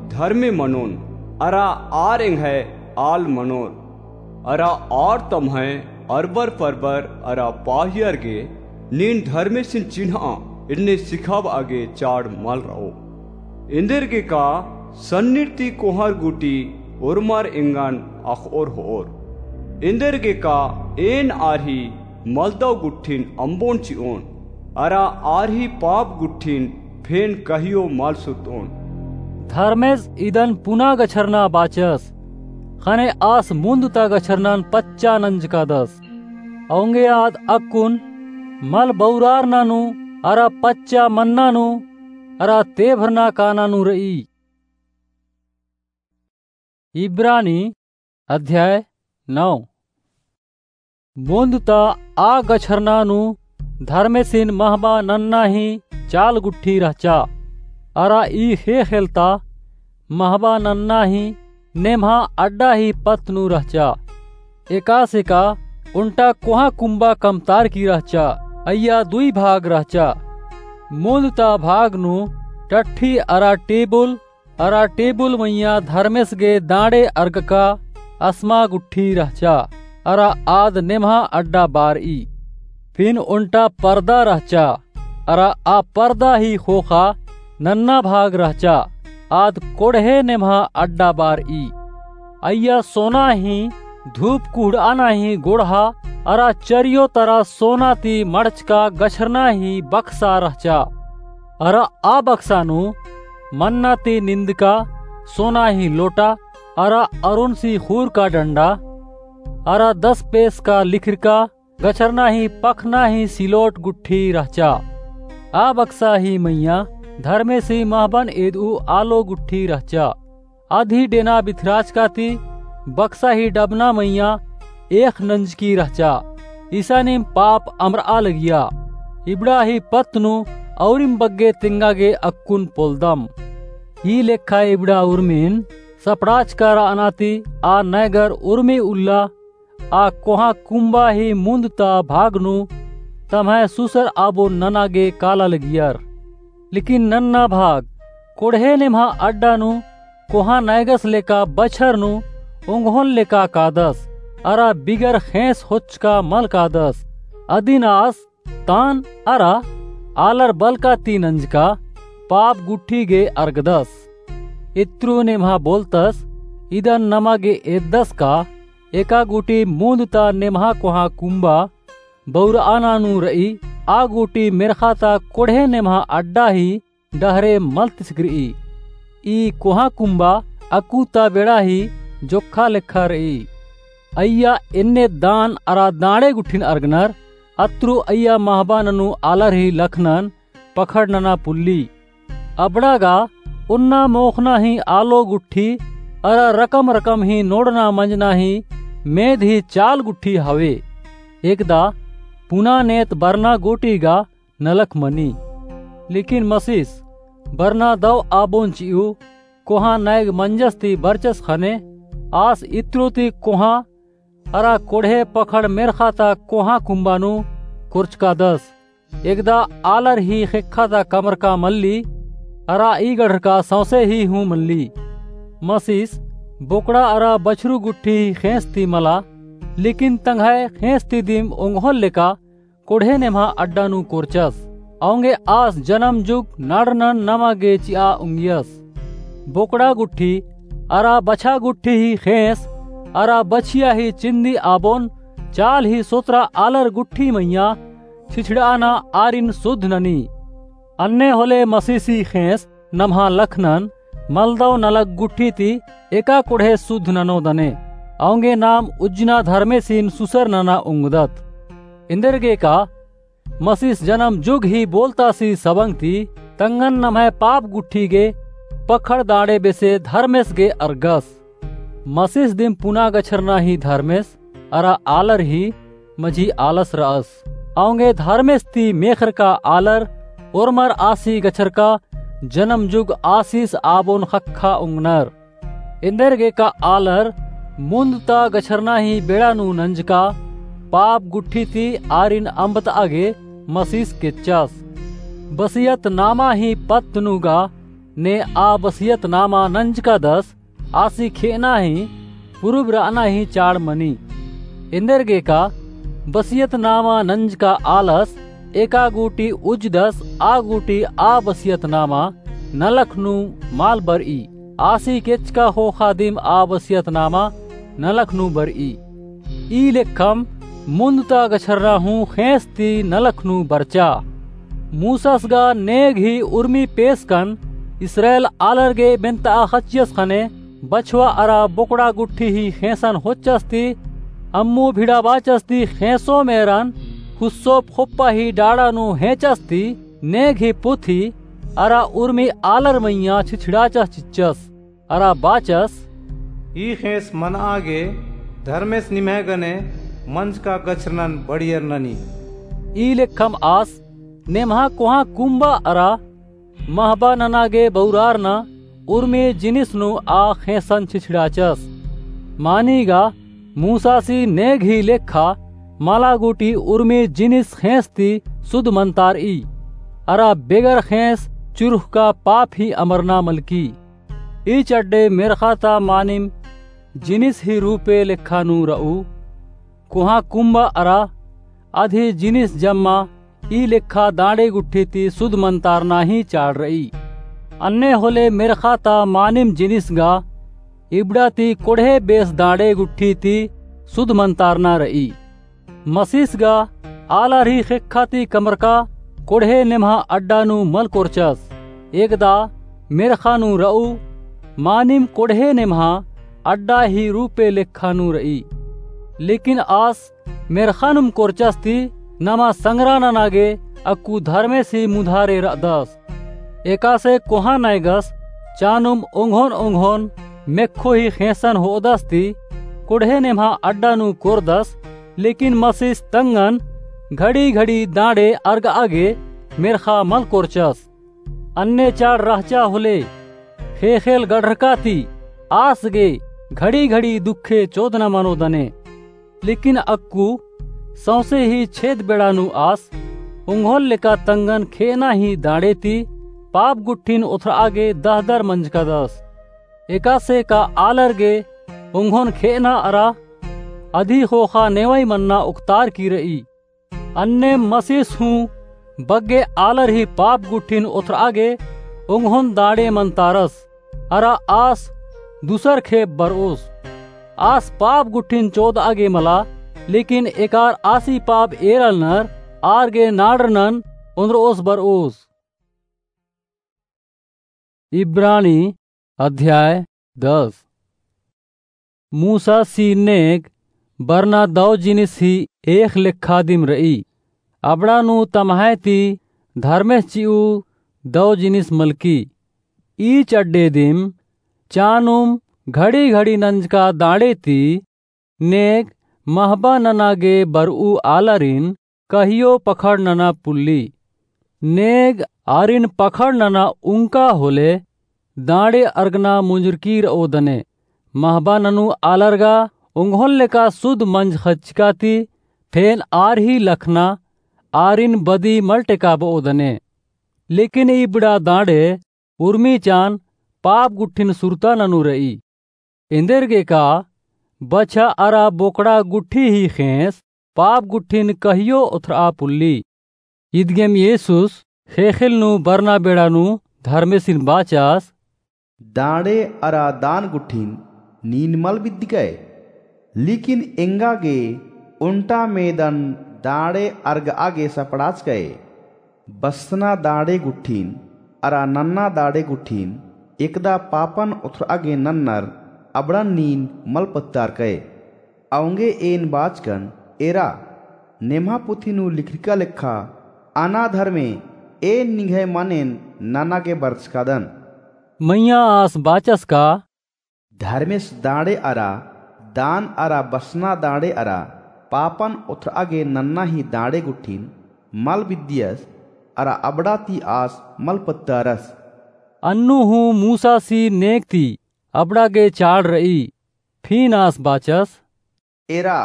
धर्मे मनोन, अरा आर एंग्है आल मनोर, अरा आर तम्है अरबर परबर अरा पाहियर गे नीन धर्मेसिन चिन्हआ एन्ने सिखाबआ गे चाड़ मल रओ। एन्देरगे का सन्निर ती कोहर गूटी ओर्मर एंगन अख़ओर होओर। एन्देरगे का एन आर ही मलदव गुट्ठिन अम्बोन चिओन, अरा आर ही पाप गुट्ठिन फेन कहियो मल सुतओन। धर्मेस इदन पुना गछरना बाचस। ख़ने आस मुन्द ता गछरनन पच्चा नंजकादस। औंगे आद अक्कुन मल बौरारना नू अरा पच्चा मन्ना नू अरा तेभरना काना नू रई। इब्रानी अध्याय नौ। मुन्द ता आ गछरना नू धर्मेसिन महबा नन्ना ही चाल गुट्ठी रहचा। अरा ई ख़ेख़ेल ता महबा नन्ना ही नेम्हा अड्डा ही पत्त नू रहचा। एकासेका ओन्टा कोहाँ कुम्बा कमतारकी रहचा। अइय्या दुई भाग रहचा। मुन्द ता भाग नू टट्ठी अरा टेबुल अरा टेबुल मइय्याँ धर्मेस गे दाँड़े अरगका असमा गुट्ठी रहचा, अरा आद नेम्हा अड्डा बारई। फिन ओन्टा परदा रहचा, अरा आ परदा ही ख़ोख़ा नन्ना भाग रहचा, आद कोड़हे नेम्हा अड्डा बारई। अइय्या सोना ही धूप कुहड़ाना ही गोड़हा, अरा चरियो तरा सोना ती मड़चका गछरना ही बक्सा रहचा। अरा आ बक्सा नू मन्ना ती निंदका सोना ही लोटा, अरा अरोनसी ख़ूर का डंडा, अरा दस पेस का लिखरका गछरना ही पखना ही सिलोट गुट्ठी रहचा। आ बक्सा ही मइय्याँ धर्मेसी महबन एदऊ आलो गुट्ठी रहचा। अदी डेना बिथराचका ती बक्सा ही डबना मइय्याँ एख़ नंजकी रहचा। इसानिम पाप अमरआ लगिया। इबड़ा ही पत्त नू औरिम बग्गे तेंगा गे अक्कुन पोलदम। ई लेखा इबड़ा उर्मिन सपड़ाचका रअना ती आ नैगर उर्मी उल्ला आ कोहाँ कुम्बा ही मुन्द ता भाग नू तम्है सुसर आबो नना गे काला लगियर। लेकिन नन्ना भाग कोड़हे नेम्हा अड्डा नू कोहाँ नैगस लेका बछर नू ओंगोन लेका कादस, अरा बिगर ख़ेंस होचका मल कादस। अदिन आस तान अरा आलर बलका ती नंजका पाप गुट्ठी गे अरगदस। इत्रु नेम्हा बोलतस, इदन नमा गे एददस का? एका गूटी मुन्द ता नेम्हा कोहाँ कुम्बा बौरआना नू रई, आ गूटी मेर्ख़ा ता कोड़हे नेम्हा अड्डा ही डहरे मल तिसगरई। ई कोहाँ कुम्बा अक्कु ता बेड़ा ही जोक्खा लेखा रई। अइय्या एन्ने दान अरा दाँड़े गुट्ठिन अरगनर, अत्रु अइय्या महबा ननू आलर ही लखनन पखड़ नना पुल्ली। अबड़ा गा ओन्ना मोख़ना ही आलो गुट्ठी अरा रकम रकम ही नोड़ना मंजना ही मेद ही चाल गुट्ठी हवे। एकदा पुना नेत बरना गूटी गा नलख मनी। लेकिन मसिस बरना दव आबोन चिऊ कोहाँ नैग मंजस ती बरचस ख़ने आस इत्रु ती कोहाँ अरा कोड़हे पखड़ मेर्ख़ा ता कोहाँ कुम्बा नू कोरचकादस। एकदा आलर ही ख़ेक्खा ता कमरका मल्ली, अरा ई गढ़रका सौंसे ही हूँ मल्ली। मसिस बोकड़ा अरा बछरू गुट्ठी ही ख़ेंस ती मला, लेकिन तंग्है ख़ेंस ती दिम ओंगोल लेका कोड़हे नेम्हा अड्डा नू कोरचस। औंगे आस जनम जुग नाड़नन नमा गे चिआ उंगियस। बोकड़ा गुट्ठी अरा बछा गुट्ठी ही ख़ेंस अरा बछिया ही चिन्दी आबोन चाल ही सोतरा आलर गुट्ठी मइय्याँ छिछड़ाना आरिन सुध ननी। अन्ने होले मसीसी ख़ेंस नम्हा लखनन मलदव नलख गुट्ठी ती एका कोड़हे सुध ननो दने। औंगे नाम उज्जना धर्मेसिन सुसर नना उंगदत। एन्देरगेका मसीस जनम जुग ही बोलतासी सबंग ती तंगन नम्है पाप गुट्ठी गे पखड़ दाड़े बेसे धर्मेस गे अरगस। मसीस दिम पुना गछरना ही धर्मेस अरा आलर ही मझी आलस रअस। औंगे धर्मेस ती मेखरका आलर ओर्मर आसी गछरका जनम जुग आसिस आबोन ख़क्खा उंगनर। एन्देरगेका आलर मुन्द ता गछरना ही बेड़ा नू नंजका पाप गुट्ठी ती आरिन अम्बतआ गे मसीस केच्चस। बसियत नामा ही पत्त नू गा ने आ बसियत नामा नंजकादस आसी खेअना ही पुरुब रअना ही चाड़ मनी। एन्देरगेका बसियत नामा नंजका आलस एका गूटी उज्जदस आ गूटी आ बसियत नामा नलख नू मल बरई। आसी केचका ख़ोख़ा दिम आ बसियत नामा नलख नू बरई। ई लेखम मुन्द ता गछरना हूँ ख़ेंस ती नलख नू बरचा। मूसस गा नेग ही उर्मी पेसकन इस्राएल आलर गे बेन्तआ ख़च्चियस ख़ने बछवा अरा बोकड़ा गुट्ठी ही ख़ेंसन होच्चस ती, अम्मु भिड़ा बाचस ती ख़ेंसोम एरन हुस्सोप ख़ोप्पा ही डाड़ा नू हेंचस ती नेग ही पुथी अरा उर्मी आलर मइय्याँ छिछड़ाचस चिच्चस। अरा बाचस, ई ख़ेंस मनआ गे धर्मेस निम्है गने मंजका गछरनन बढ़ियर ननी। ई लेखम आस नेम्हा कोहाँ कुम्बा अरा महबा नना गे बउरारना उर्मी जिनिस नू आ ख़ेंसन छिछड़ाचस। मानिगा मूसासी नेग ही लेखा मला गूटी उर्मी जिनिस ख़ेंस ती सुध मनतारई। अरा बेगर ख़ेंस चुरुख़का पाप ही अमरना मलकी। ई चड्डे मेर्ख़ा ता मानिम जिनिस ही रूपे लेखा नू रऊ। कोहाँ कुम्बा अरा अदी जिनिस जम्मा ई लेखा दांड़े गुट्ठी ती सुध मनतारना ही चाड़ रई। अन्ने होले मेर्ख़ा ता मानिम जिनिस गा इबड़ा ती कोड़हे बेस दांड़े गुट्ठी ती सुध मनतारना रई। मसीस गा आलर ही ख़ेक्खा ती कमरका कोड़हे नेम्हा अड्डा नू मल कोरचस। एकदा मेर्ख़ा नू रऊ मानिम कोड़हे नेम्हा अड्डा ही रूपे लेखा नू रई। लेकिन आस मेर्ख़ानुम कोरचस ती नमा संगरा नना गे अक्कु धर्मेसी मुधारे रअदस। एकासे कोहाँ नैगस चानुम ओंघोन ओंघोन मेक्खो ही ख़ेंसन होअदस ती कोड़हे नेम्हा अड्डा नू कोरदस। लेकिन मसीस तंगन घड़ी घड़ी दांड़े अर्गआ गे मेर्ख़ा मल कोरचस। अन्ने चाड़ रहचा होले ख़ेख़ेल गड़रका ती आस गे घड़ी घड़ी दुखे चोदना मनो दने। लेकिन अक्कु सौंसे ही छेद बेड़ा नू आस ओंघोल लेका तंगन खेअना ही दांड़े ती पाप गुट्ठिन ओथरआ गे दहदर मंजकादस। एकासे का आलर गे ओंघोन खेअना अरा अदी ख़ोख़ा नेवई मन्ना ओक्तार की रई। अन्नेम मसीस हूँ बग्गे आलर ही पाप गुट्ठिन ओथरआ गे ओंघोन दांड़े मनतारस। अरा आस दुसर खेप बरओस। आस पाप गुट्ठिन चोदआ गे मला, लेकिन एकार आसी पाप एरालनर आर गे नाड़रनन ओन्द्रओस बरओस। इब्रानी अध्याय दस। मूसासी नेग बरना दौ जिनिस ही एख़ लेखा दिम रई। अबड़ा नू तम्है ती धर्मेस चिऊ दौ जिनिस मलकी। ई चड्डे दिम चानुम घड़ी घड़ी नंजका दांड़े ती नेग महबा नना गे बरऊ आलारिन कहियो पखड़ नना पुल्ली। नेग आरिन पखड़ नना उंका होले दांड़े अर्गना मुंजरकी रओ दने। महबा ननू आलर गा ओंघोन लेका सुध मंज ख़च्चका ती फेन आर ही लखना आरिन बदी मल टेकाबओ दने। लेकिन इबड़ा दांड़े उर्मी चान पाप गुट्ठिन सुरता ननू रई। एन्देरगे का बछा अरा बोकड़ा गुट्ठी ही ख़ेंस पाप गुट्ठिन कहियो ओथरआ पुल्ली। इदगेम येसुस ख़ेख़ेल नू बरना बेड़ा नू धर्मेसिन बाचस, दांड़े अरा दान गुट्ठिन नीन मल बिद्दकय, लेकिन एंगा गे ओन्टा मेदन दांड़े अर्गआ गे सपड़ाचकय। बसना दांड़े गुट्ठिन अरा नन्ना दांड़े गुट्ठिन एकदा पापन ओथरआ गे नन्नर अबड़न नीन मल पत्तारकय। औंगे एन बाचकन, एरा, नेम्हा पुथी नू लिखरका लेखा, अना धर्मे एन निंग्है मनेन नना गे बरचकादन। मइय्याँ आस बाचस का, धर्मेस दांड़े अरा दान अरा बसना दांड़े अरा पापन ओथरआ गे नन्ना ही दांड़े गुट्ठिन मल बिद्दियस अरा अबड़ा ती आस मल पत्तारस। अन्नु हूँ मूसासी नेग ती अबड़ा गे चाड़ रई। फिन आस बाचस, एरा,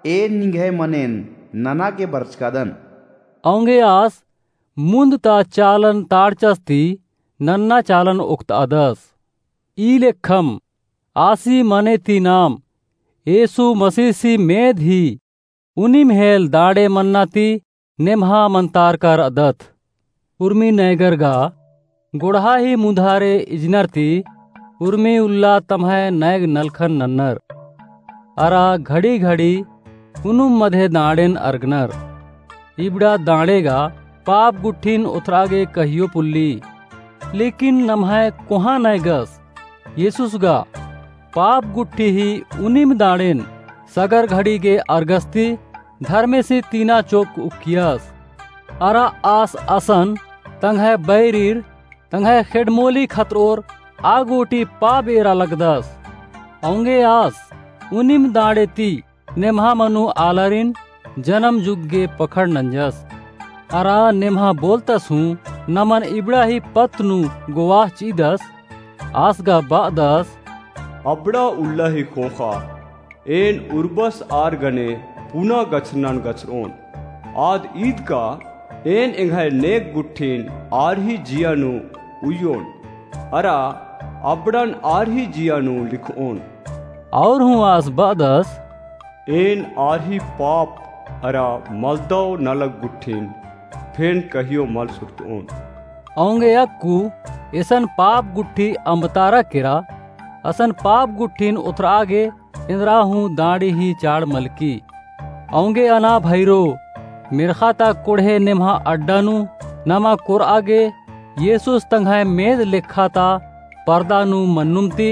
एन निंग्है मनेन नना गे बरचकादन। औंगे आस मुन्द ता चालन ताड़चस ती नन्ना चालन ओक्तआदस। ई लेखम आसी मने ती नाम येसु मसीसी मेद ही उनिम हेल दांड़े मन्ना ती नेम्हा मन्तारका रअदत। उर्मी नैगर गा गोड़हा ही मुधारे इजनर ती उर्मी उल्ला तम्है नैग नलखन नन्नर। अरा घड़ी घड़ी उनुम मधे दांड़ेन अर्गनर। इबड़ा दांड़े गा पाप गुट्ठिन ओथरआ गे कहियो पुल्ली। लेकिन नम्है कोहाँ नैगस येसुस गा पाप गुट्ठी ही उनिम दाड़ेन सगर घड़ी गे अरगस ती धर्मेसी तीना चोक उक्कियस। अरा आस असन तंग्है बैरीर तंग्है खेड्डमोली खतरओर आ गूटी पाप एरा लगदस। औंगे आस उनिम दाड़े ती नेम्हा मनु आलारिन जनम जुग गे पखड़ नंजस। अरा नेम्हा बोलतस हूँ नमन इबड़ा ही पत्त नू गोवाह चिदस। आस गा बअदस, अबड़ा उल्ला ही ख़ोख़ा, एन उर्बस आर गने पुना गछरनन गछरओन। आद ईद का एन एंग्है नेग गुट्ठिन आर ही जिया नू उइयोन, अरा अबड़न आर ही जिया नू लिखओन। और हूँ आस बअदस, एन आर ही पाप अरा मलदव नलख गुट्ठिन फेन कहियो मल सुरतओन। औंगे अक्कु एसन पाप गुट्ठी अम्बतारा केरा, असन पाप गुट्ठिन ओथरआ गे एन्दरा हूँ दाड़ी ही चाड़ मलकी। औंगे अना भइरो, मेर्ख़ा ता कोड़हे नेम्हा अड्डा नू नमा कोरआ गे येसुस तंग्है मेद लेखा ता परदा नू मन्नुम ती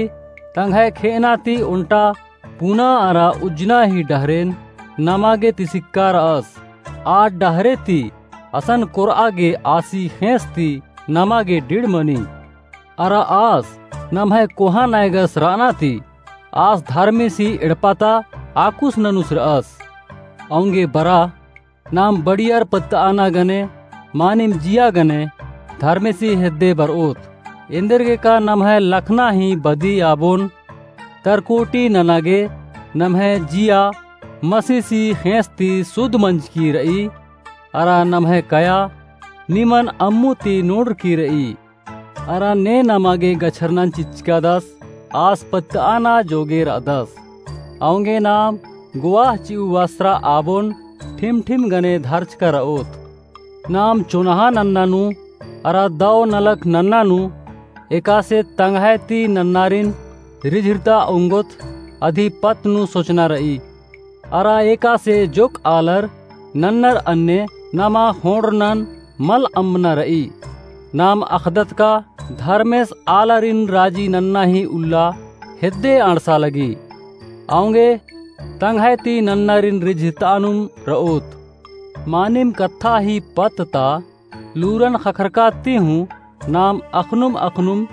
तंग्है खेअना ती ओन्टा पुना अरा उज्जना ही डहरेन नमा गे तिसिक्का रअस। आ डहरे ती असन कोरआ गे आसी ख़ेंस ती नमा गे डिड़ मनी। अरा आस नम्है कोहाँ नैगस रअना ती आस धर्मेसी एड़पा ता आकुस ननुस रअस। औंगे बरा नाम बड़ियर पत्तआना गने मानिम जिया गने धर्मेसी हेद्दे बरओत। एन्देरगे का नम्है लखना ही बदी आबोन तरकोटी नना गे नम्है जिया मसीसी ख़ेंस ती सुध मंजकी रई। अरा नम्है कया निमन अम्मु ती नोड़रकी रई। अरा ने नमा गे गछरनन चिच्चकादस आस पत्तआना जोगे रअदस। औंगे नाम गोवाह चिउ वास्त्रा आबोन ठिम ठिम गने धरचका रओत। नाम चोन्हा नन्ना नू अरा दव नलख नन्ना नू एकासे तंग्है ती नन्नारिन रिझिरता ओंगोत अदी पत्त नू सोचना रई। अरा एकासे जोक आलर नन्नर अन्ने नमा ख़ोंड़रनन मल अम्बना रई। नाम अख़दत का धर्मेस आलारिन राजी नन्ना ही उल्ला हेद्दे अंड़सा लगी। औंगे तंग्है ती नन्नारिन रिझिरतानुम रओत। मानिम कत्था ही पत्त ता लूरन ख़क्खरका ती हूँ नाम अख़नुम अख़नुम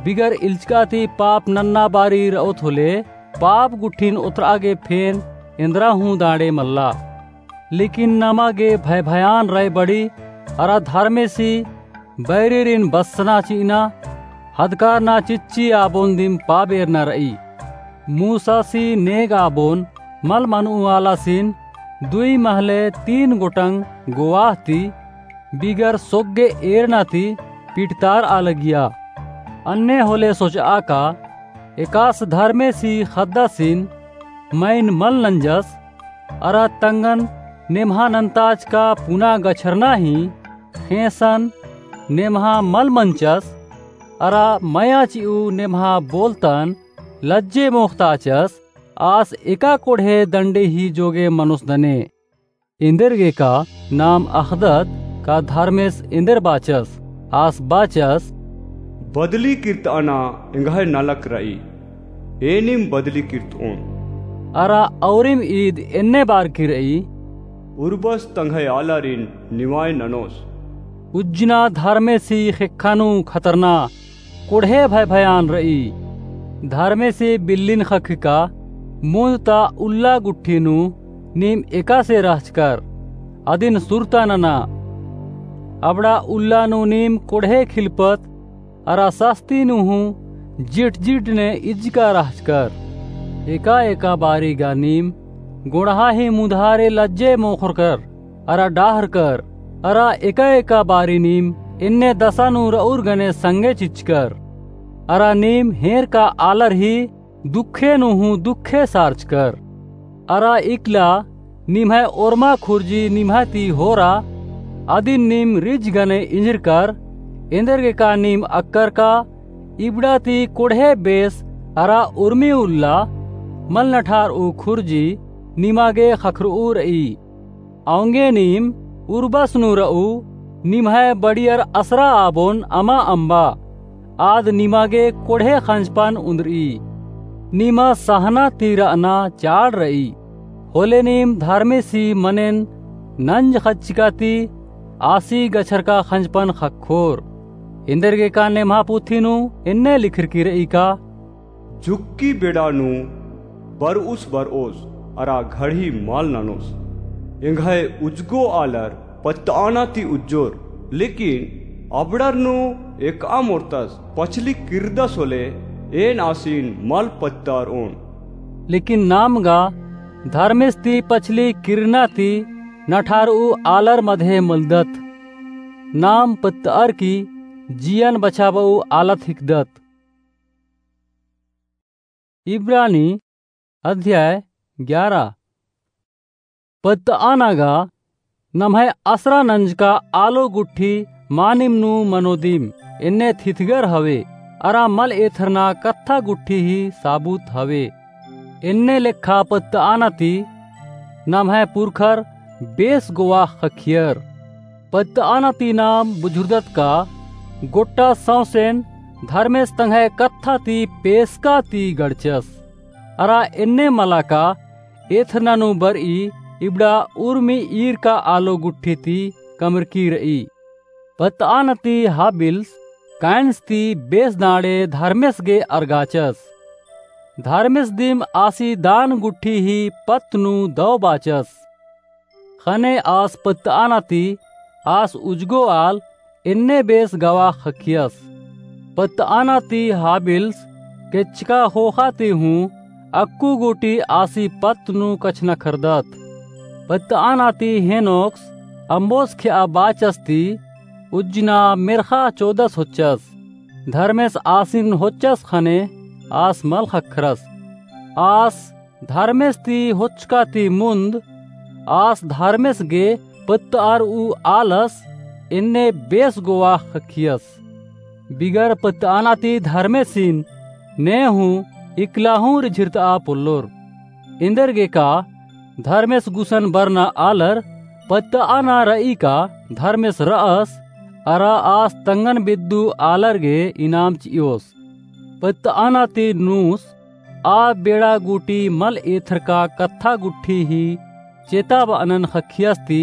बिगर इल्चका ती पाप नन्ना बारी रओत होले पाप गुट्ठिन ओथरआ गे फेन एन्दरा हूँ दाड़े मल्ला। लेकिन नमा गे भय भयान रई बड़ी अरा धर्मेसी बैरिरिन बस्सना चिअना हदकारना चिच्ची आबोन दिम पाबेरना रई। मूसासी नेग आबोन मल मनऊ आलासिन दुई महले तीन गोटंग गोवाह ती बिगर सोग्गे एरना ती पिटतारआ लगिया। अन्ने होले सोचआ का एकास धर्मेसी ख़द्दासिन मइन मल नंजस अरा तंगन नेम्हा नन्ताचका पुना गछरना ही ख़ेंसन नेम्हा मल मंचस अरा मया चिउ नेम्हा बोलतन लज्जे मोख़ताचस। आस एका कोड़हे दंडे ही जोगे मनोस दने। एन्देरगे का नाम अख़दत का धर्मेस एन्देर बाचस। आस बाचस, बदली किर्तआना एंग्है नलख रई, एनिम बदली किर्तओन। अरा औरिम ईद एन्ने बारकी रई, उर्बस तंग्है आलारिन निवाय ननोस। उज्जना धर्मेसी ख़ेक्खा नू खतरना कोड़हे भय भयान रई। धर्मेसे बिल्लिन ख़क्खका मुन्द ता उल्ला गुट्ठी नू नीम एकासे रहचकर अदिन सुरता नना। अबड़ा उल्ला नू नीम कोड़हे खिलपत अरा सस्ती नू हूँ जिट जिट ने इज्जका रहचकर। एका एका बारी गा नीम गोड़हा ही मुधारे लज्जे मोख़रकर अरा डाहरकर, अरा एका एका बारी नीम एन्ने दसा नू रऊर गने संगे चिच्चकर, अरा नीम हेंरका आलर ही दुखे नू हूँ दुखे सारचकर। अरा इकला निम्है ओर्मा खुर्जी निम्है ती होरा, अदिन नीम रिझ गने इंजरकर, एन्देरगे का नीम अक्कर का इबड़ा ती कोड़हे बेस अरा उर्मी उल्ला मल नठारऊ खुर्जी निमा गे ख़क्खरऊ रई। औंगे नीम उर्बस नू रऊ निम्है बड़ियर असरा आबोन अमा अम्बा। आद निमा गे कोड़हे खंजपन उन्दरई। निमा सहना ती रअना चाड़ रई। होले नीम धर्मेसी मनेन नंज खच्चका ती आसी गछरका खंजपन ख़क्खोर। एन्देरगेका नेम्हा पुथी नू एन्ने लिखरकी रई का, झुक्की बेड़ा नू बरउस बरओस अरा घड़ी मल ननोस। एंग्है उज्जगो आलर पत्तआना ती उज्जोर, लेकिन अबड़र नू एकअम ओर्तस पछली किर्रदस होले एन आसिन मल पत्तअर ओन। लेकिन नाम गा धर्मेस ती पछली किर्रना ती नठारऊ आलर मधे मलदत। नाम पत्तअर की जियन बछाबऊ आलत हिकदत। इब्रानी अध्याय ग्यारा। पत्तआना गा नम्है असरा नंजका आलो गुट्ठी मानिम नू मनोदिम, एन्ने थिथगर हवे, अरा मल एथरना कत्था गुट्ठी ही साबुत हवे। एन्ने लेखा पत्तआना ती नम्है पुरखर बेस गोवा ख़क्खियर। पत्तआना ती नाम बुझुरदत का गोट्टा सौंसेन धर्मेस तंग्है कत्था ती पेसका ती गड़चस। अरा एन्ने मला का एथरना नू बरई इबड़ा उर्मी ईरका आलो गुट्ठी ती कमरकी रई। पत्तआना ती हाबिल्स काइन्स ती बेस दांड़े धर्मेस गे अरगाचस। धर्मेस दिम आसी दान गुट्ठी ही पत्त नू दौ बाचस। ख़ने आस पत्तआना ती आस उज्जगो आल एन्ने बेस गवा ख़क्खियस। पत्तआना ती हाबिल्स केच्चका ख़ोख़ा ती हूँ अक्कु गूटी आसी पत्त नू कछनखरदत। पत्तआना ती हेनोक्स अम्बोस खेआ बाचस ती उज्जना मेर्ख़ा चोदस होच्चस। धर्मेस आसिन होच्चस ख़ने आस मल ख़क्खरस। आस धर्मेस ती होच्चका ती मुन्द आस धर्मेस गे पत्तअरऊ आलस एन्ने बेस गोवा ख़क्खियस। बिगर पत्तआना ती धर्मेसिन ने हूँ इकला हूँ रिझिरतआ पोल्लोर। एन्देरगेका धर्मेस गुसन बरना आलर पत्तआना रई का धर्मेस रअस, अरा आस तंगन बेद्दू आलर गे इनाम चिओस। पत्तआना ती नूस आ बेड़ा गूटी मल एथरका कत्था गुट्ठी ही चेता बअनन ख़क्खियस ती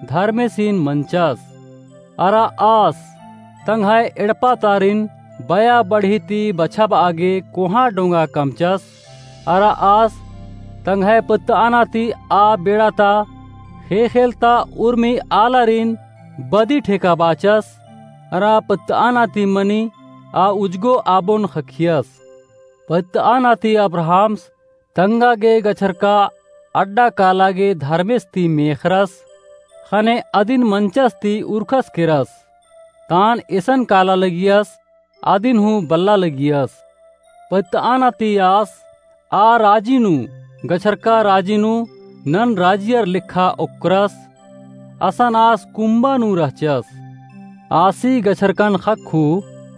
धर्मेसिन मंचस। अरा आस तंग्है एड़पा तारिन बया बढ़ी ती बछाबआ गे कोहाँ डोंगा कमचस। अरा आस तंग्है पत्तआना ती आ बेड़ा ता ख़ेख़ेल ता उर्मी आलारिन बदी ठेका बाचस। अरा पत्तआना ती मनी आ उज्जगो आबोन ख़क्खियस। पत्तआना ती अब्राहम्स तंगा गे गछरका अड्डा काला गे धर्मेस ती मेख़रस, ख़ने अदिन मंचस ती उरखस केरस। तान एसन काला लगियस, अदिन हूँ बल्ला लगियस। पत्तआना ती आस आ राजी नू गछरका राजी नू नन राजियर लेखा ओक्करस। असन आस कुम्बा नू रहचस। आसी गछरकन ख़क्खु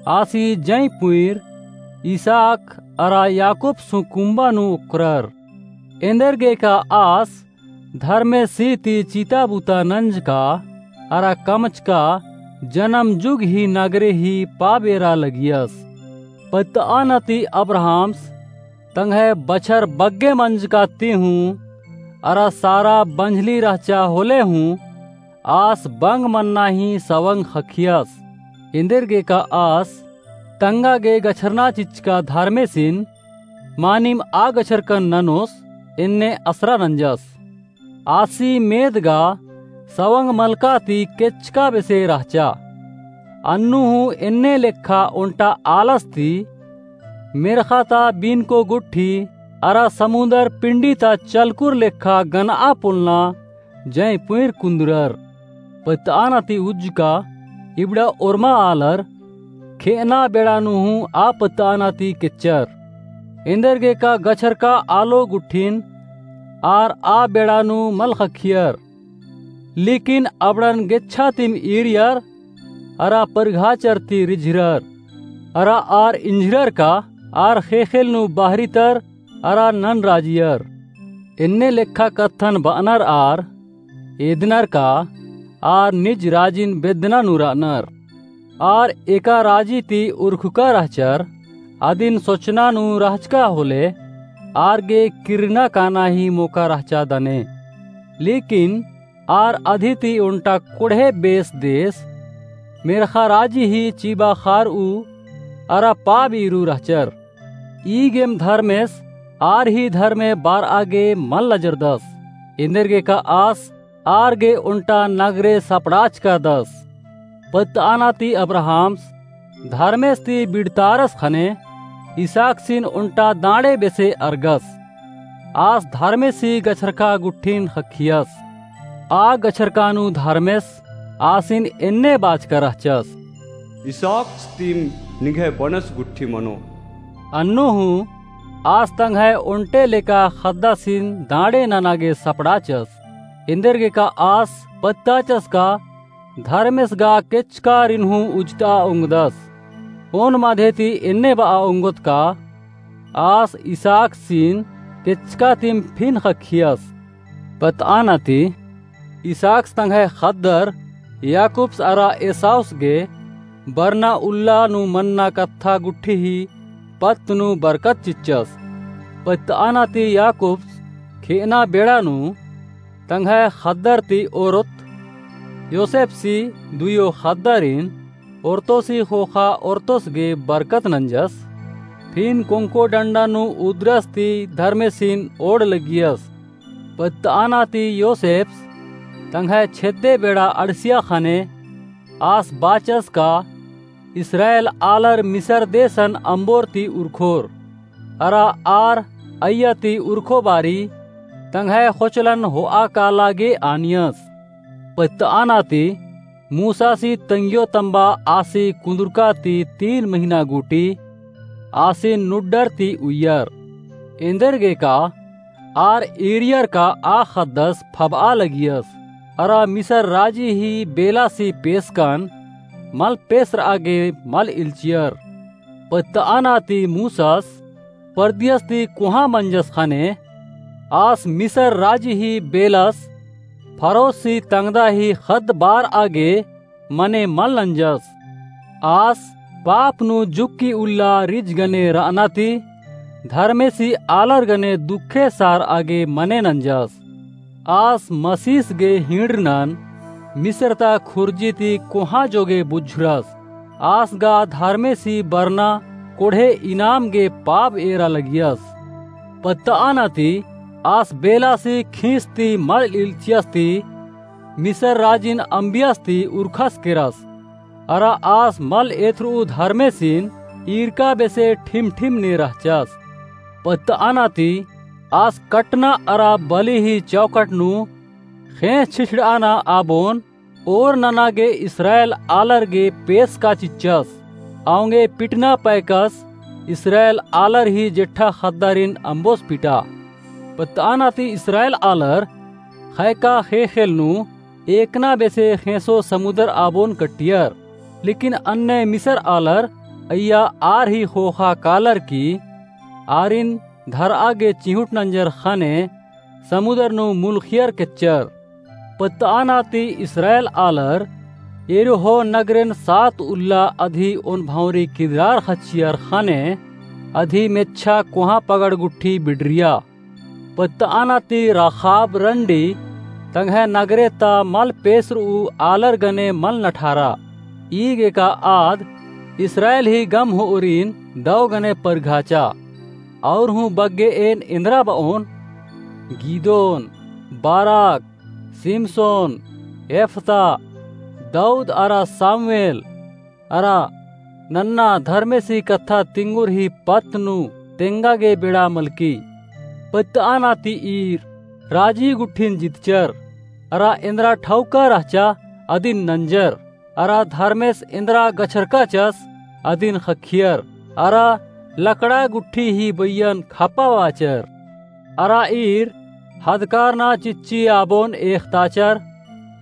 आसी जंई पुंइर इसहाक अरा याकूबसु कुम्बा नू ओक्करर। एन्देरगेका आस धर्मेसी ती चिता बुता नंजका अरा कमचका जनम जुग ही नगरे ही पाबेरा लगियस। पत्तआना ती अब्राहम्स तंग्है बछर बग्गे मंजका ती हूँ अरा सारा बंझली रहचा होले हूँ आस बंग मन्ना ही सवंग ख़क्खियस। एन्देरगेका आस तंगा गे गछरना चिच्चका धर्मेसिन मानिम आ गछरकन ननोस एन्ने असरा नंजस। आसी मेद गा सवंग मलका ती केच्चका बेसे रहचा। अन्नु हूँ एन्ने लेखा ओन्टा आलस ती मेर्ख़ा ता बीनको गुट्ठी अरा समुन्दर पिंडी ता चलकुर लेखा गनआ पोलना जंई पुंइर कुन्दुरर। पत्तआना ती उज्जका इबड़ा ओर्मा आलर खेअना बेड़ा नू हूँ आ पत्तआना ती केच्चर। एन्देरगेका गछरका आलो गुट्ठिन आर आ बेड़ा नू मल ख़क्खियर। लेकिन अबड़न गेच्छा तिम ईरियर अरा परिघाचर ती रिझिरर। अरा आर इंझिरर का आर ख़ेख़ेल नू बाहरितर अरा नन राजियर। एन्ने लेखा कत्थन बअनर आर एदनर का आर निज राजिन बेद्दना नू रअनर। आर एका राजी ती उरखका रहचर, अदिन सोचना नू रहचका होले, आर गे किर्रना काना ही मोका रहचा दने। लेकिन आर अदी ती ओन्टा कोड़हे बेस देस, मेर्ख़ा राजी ही चिबा ख़ारऊ अरा पाब ईरू रहचर। ई गेम धर्मेस आर ही धर्मे बारआ गे मल लजरदस। एन्देरगेका आस आर गे ओन्टा नगरे सपड़ाचकादस। पत्तआना ती अब्राहमस धर्मेस ती बिड़तारस ख़ने, इसहाकसिन ओन्टा दाँड़े बेसे अरगस। आस धर्मेसी गछरका गुट्ठिन ख़क्खियस। आ गछरका नू धर्मेस आसिन एन्ने बाचका रहचस। इसहाकस तिम निंग्है बनस गुट्ठी मनो। अन्नु हूँ आस तंग्है ओन्टे लेका ख़द्दासिन दाँड़े नना गे सपड़ाचस। एन्देरगेका आस पत्ताचस का धर्मेस गा केचकारिन हूँ उजता ओंगदस। ओन माधे ती एन्ने बआ ओंगोत का आस इसहाकसिन केचका तिम फिन ख़क्खियस। पत्तआना ती इसहाकस तंग्है ख़द्दर याकूबस अरा एसाउस गे बरना उल्ला नू मन्ना कत्था गुट्ठी ही पत्त नू बरकत चिच्चस। पत्तआना ती याकूबस खेअना बेड़ा नू तंग्है ख़द्दर ती ओरोत योसेफसी दुयो ख़द्दारिन ओरतोसी ख़ोख़ा ओरतोस गे बरकत नंजस। फिन कोंको डंडा नू उदरस ती धर्मेसिन ओड़ लगियस। पत्तआना ती योसेफस तंग्है छेद्दे बेड़ा अंड़सिया ख़ने आस बाचस का इस्राएल आलर मिसर देसन अम्बोर ती उरखोर। अरा आर अइय्या ती उरखो बारी तंग्है ख़ोचलन होआ काला गे आनियस। पत्तआना ती मूसासी तंग्यो तम्बा आसी कुन्दुरका ती तीन महिना गूटी आसिन नुड्डर ती उइयर। एन्देरगेका आर ईरियर का आ ख़द्दस फबआ लगियस। अरा मिसर राजी ही बेलासी पेसकन मल पेसरआ गे मल इल्चियर। पत्तआना ती मूसस परदियस ती कोहाँ मंजस ख़ने आस मिसर राजी ही बेलस फरोसी तंगदा ही ख़द्द बारआ गे मने मल नंजस। आस पाप नू जुक्की उल्ला रिज गने रअना ती धर्मेसी आलर गने दुखे सारआ गे मने नंजस। आस मसीस गे हिंड़रनन मिसर ता खुर्जी ती कोहाँ जोगे बुझुरस। आस गा धर्मेसी बरना कोड़हे इनाम गे पाब एरा लगियस। पत्तआना ती आस बेलासी खीस ती मल इल्चियस ती मिसर राजिन अम्बियस ती उरखस केरस। अरा आस मल एथरऊ धर्मेसिन ईरका बेसे ठिम ठिम ने रहचस। पत्तआना ती आस कटना अरा बली ही चौकट नू ख़ेंस छिछड़आना आबोन ओर नना गे इस्राएल आलर गे पेसका चिच्चस। औंगे पिटना पैकस इस्राएल आलर ही जेठा ख़द्दारिन अम्बोस पिटा। पत्तआना ती इस्राएल आलर ख़ैका ख़ेख़ेल नू एकना बेसे ख़ेंसो समुदर आबोन कट्टियर। लेकिन अन्ने मिसर आलर अइय्या आर ही ख़ोख़ा कालर की आरिन धरआ गे चिहुट नंजर ख़ने समुदर नू मुलख़ियर केच्चर। पत्तआना ती इस्राएल आलर यरीहो नगरेन सात उल्ला अदी ओन भौंरी किन्द्रार ख़च्चियर ख़ने अदी मेच्छा कोहाँ पगड़ गुट्ठी बिड़रिया। पत्तआना ती राख़ाब रंडी तंग्है नगरे ता मल पेसरऊ आलर गने मल नठारा। ई गेका आद इस्राएल ही गम होओरिन दौ गने परघाचा। और हूँ बग्गे एन एन्द्रा बओन, गिदोन, बाराक, सिमसोन, एफता, दऊद अरा सामुएल, अरा नन्ना धर्मेसी कत्था तिंगुर ही पत्त नू तेंगा गे बेड़ा मलकी। पत्तआना ती ईर राजी गुट्ठिन जितचर, अरा एन्द्रा ठौका रहचा अदिन नंजर। अरा धर्मेस एन्द्रा गछरकाचस अदिन ख़क्खियर, अरा लकड़ा गुट्ठी ही बइयन खप्पा बाचर। अरा ईर हदकारना चिच्ची आबोन एख़ताचर,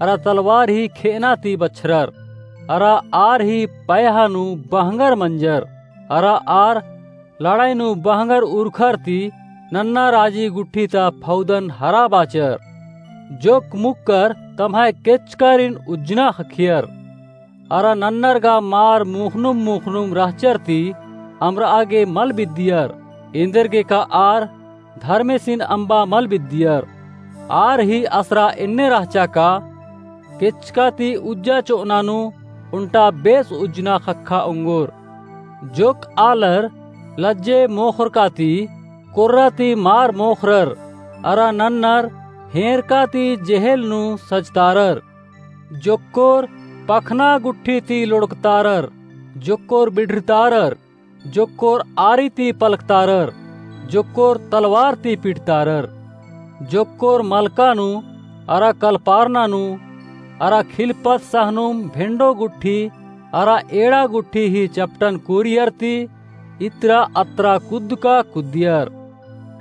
अरा तलवार ही खेअना ती बछरर, अरा आर ही पैहा नू बहंगर मंजर, अरा आर लड़ाई नू बहंगर उरखर ती नन्ना राजी गुट्ठी ता फौदन हरा बाचर। जोक मुक्कर तम्है केचकारिन उज्जना ख़क्खियर। अरा नन्नर गा मार मुख़नुम मुख़नुम रहचर ती अमरआ गे मल बिद्दियर। एन्देरगेका आर धर्मेसिन अम्बा मल बिद्दियर। आर ही असरा एन्ने रहचा का केचका ती उज्जा चो'अना नू ओन्टा बेस उज्जना ख़क्खा ओंगोर। जोक्क आलर लज्जे मोख़रका ती कोर्रा ती मार मोख़रर, अरा नन्नर हेंरका ती जेहेल नू सजतारर। जोक्कोर पखना गुट्ठी ती लोड़कतारर, जोक्कोर बिड़रतारर, जोक्कोर आरी ती पलखतारर, जोक्कोर तलवार ती पिटतारर, जोक्कोर मलका नू, अरा कलपारना नू, अरा खिलपत सहनुम भेंड़ो गुट्ठी, अरा एड़ा गुट्ठी ही चपटन कोरियर ती इतरा अतरा कुद्दका कुद्दियर।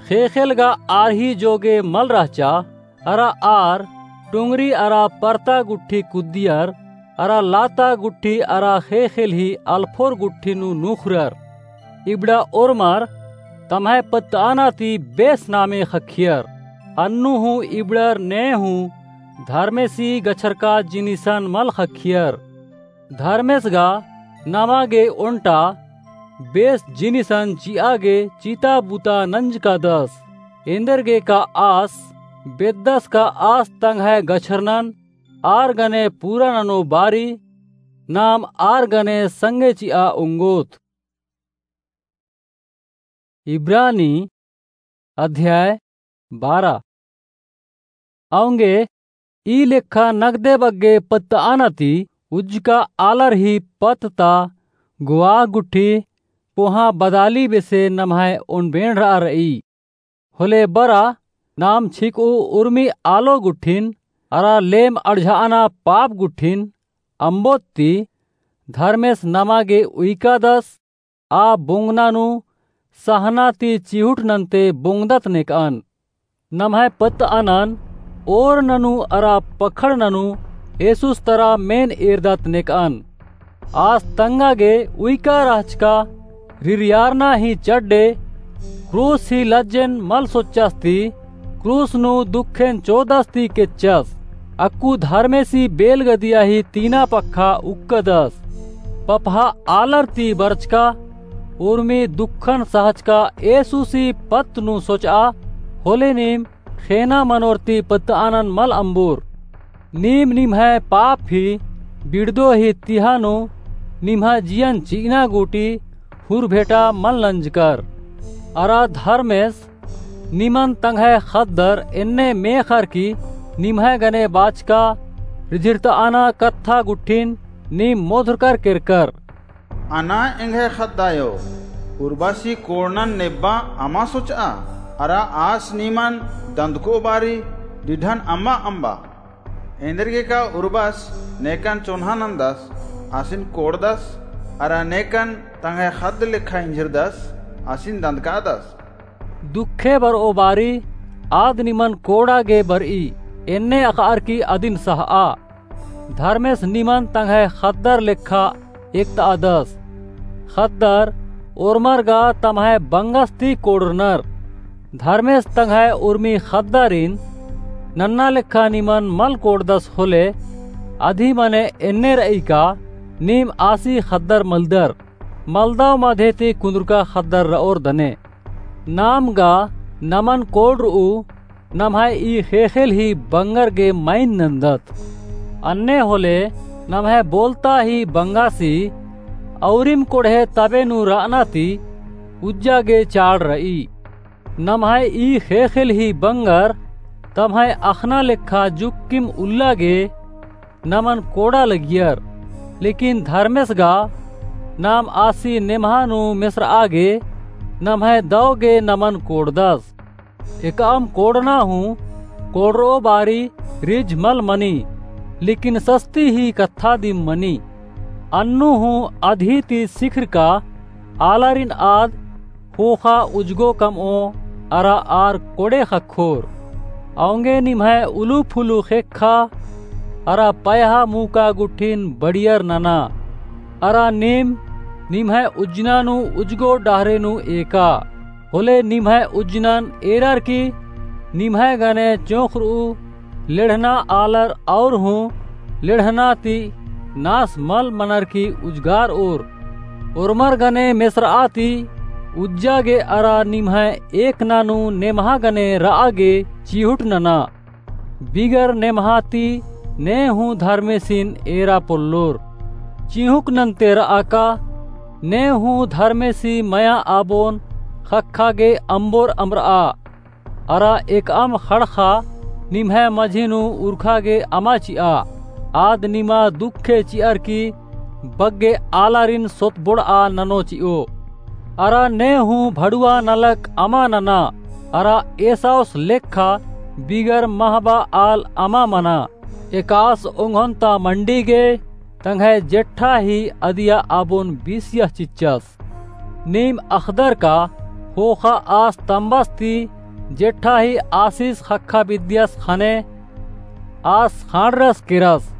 ख़ेख़ेल गा आर ही जोगे मल रहचा, अरा आर टुंगरी अरा परता गुट्ठी कुद्दियर, अरा लाता गुट्ठी अरा ख़ेख़ेल ही अलफोर गुट्ठी नू नुख़रर। इबड़ा ओर्मर तम्है पत्तअना ती बेस नामे ख़क्खियर। अन्नु हूँ इबड़र ने हूँ धर्मेसी गछरका जिनिसन मल ख़क्खियर। धर्मेस गा नमा गे ओन्टा बेस जिनिसन चि'आ गे चिता बुता नंजकादस। एन्देरगेका आस बेद्दस का आस तंग्है गछरनन आर गने पूरा ननो बारी नाम आर गने संगे चि'आ ओंगोत। इब्रानी अध्याय बारह। औंगे ई लेखा नगदे बग्गे पत्तअना ती उज्जका आलर ही पत्त ता गुआ गुट्ठी कोहाँ बदाली बेसे नम्है ओन बेंड़रआ र'ई। होले बरा नाम छिक'ऊ उर्मी आलो गुट्ठिन अरा लेम अड़झ'अना पाप गुट्ठिन अम्बोत ती धर्मेस नमा गे उइकादस। आ बोंगना नू सहना ती चिहुट नन्ते बोंगदत नेक'अन। नम्है पत्तअनन ओर ननू अरा पखड़ ननू एसुस तरा मेन एरदत नेक'अन। आस तंगा गे उइका रहचका रिरियारना ही चड्डे क्रूस ही लज्जेन मल सोच्चस ती क्रूस नू दुखेन चोदस ती केच्चस। अक्कु धर्मेसी बेलगदिया ही तीना पक्खा उक्कदस। पपहा आलर ती बरचका उर्मी दुखन सहचका एसुसी पत्त नू सोच'आ। होले नीम ख़ेना मनोर ती पत्तअनन मल अम्बोर। नीम निम्है पाप ही बिड़दो ही तिहा नू निम्है जियन चि'अना गूटी हुर भेटा मल नंजकर। अरा धर्मेस निमन तंग्है ख़द्दर एन्ने मेख़र की निम्है गने बाचका रिझिरतअना कत्था गुट्ठिन नीम मोधरकर केरकर। अना एंग्है ख़द्दायो, उर्बासी कोड़नन नेब्बा अमा सोच'आ, अरा आस निमन दंदको बारी डिढन अमा अम्बा। एन्देरगेका उर्बास नेकन चोन्हा नन्दस, आसिन कोड़दस, अरा नेकन तंग्है ख़द्द लेखा इंझिरदस, आसिन दंदकादस। दुखे बर'ओ बारी आद निमन कोड़ा गे बर'ई, एन्ने अख़'अर की अदिन सह'आ। धर्मेस निमन तंग्है ख़द्दर लेखा एकत'अदस। ख़द्दर ओर्मर गा तम्है बंगस ती कोड़रनर। धर्मेस तंग्है उर्मी ख़द्दारिन नन्ना लेखा निमन मल कोड़दस होले, अदी मने एन्ने र'ई का नीम आसी ख़द्दर मलदर। मलदव मधे ती कुन्दुरका ख़द्दर र'ओर दने। नाम गा नमन कोड़र'ऊ नम्है ई ख़ेख़ेल ही बंगर गे मइन नन्दत। अन्ने होले नम्है बोलता ही बंगासी औरिम कोड़हे तबे नू र'अना ती उज्जा गे चाड़ र'ई। नम्है ई ख़ेख़ेल ही बंगर तम्है अख़ना लेखा जुक्किम उल्ला गे नमन कोड़ा लगियर, लेकिन धर्मेस गा नाम आसी नेम्हा नू मेसर'आ गे नम्है दव गे नमन कोड़दस। एकअम कोड़ना हूँ कोड़र'ओ बारी रिझ मल मनी, लेकिन सस्ती ही कत्था दिम मनी। अन्नु हूँ अदी ती सिखरका आलारिन आद ख़ोख़ा उजगो कम'ओ अरा आर कोड़े ख़क्खोर। औंगे निम्है उलु फुलु ख़ेक्खा अरा पयहा मुका गुट्ठिन बड़ियर नना। अरा नीम निम्है उज्जना नू उजगो डहरे नू एका। होले निम्है उज्जनन एरर की निम्है गने चोंख़र'ऊ लेड़हना आलर और हूँ लेड़हना ती नास मल मनर की उजगार ओर। ओर्मर गने मेसरआ ती उज्जा गे अरा निम्है एकना नू नेम्हा गने रआ गे चिहुट नना। बिगर नेम्हा ती ने हूँ धर्मेसिन एरा पोल्लोर। चिहुक नन्ते रआ का, ने हूँ धर्मेसी मया आबोन ख़क्खा गे अम्बोर अम्बरआ। अरा एकअम ख़ड़ख़ा निम्है मझी नू उरखा गे अमा चिआ। आद निमा दुखे चिअर की बग्गे आलारिन सोतबोड़आ ननो चिओ। अरा ने हूँ भड़ुआ नलख अमा नना, अरा एसाउस लेखा बिगर महबा आल अमा मना। एकास ओंघोन ता मंडी गे, तंग्है जेठा ही अदिया आबोन बीसियस चिच्चस। नीम अख़दर का ख़ोख़ा आस तम्बस ती जेठा ही आसिस ख़क्खा बिद्दियस ख़ने आस ख़ांड़रस केरस।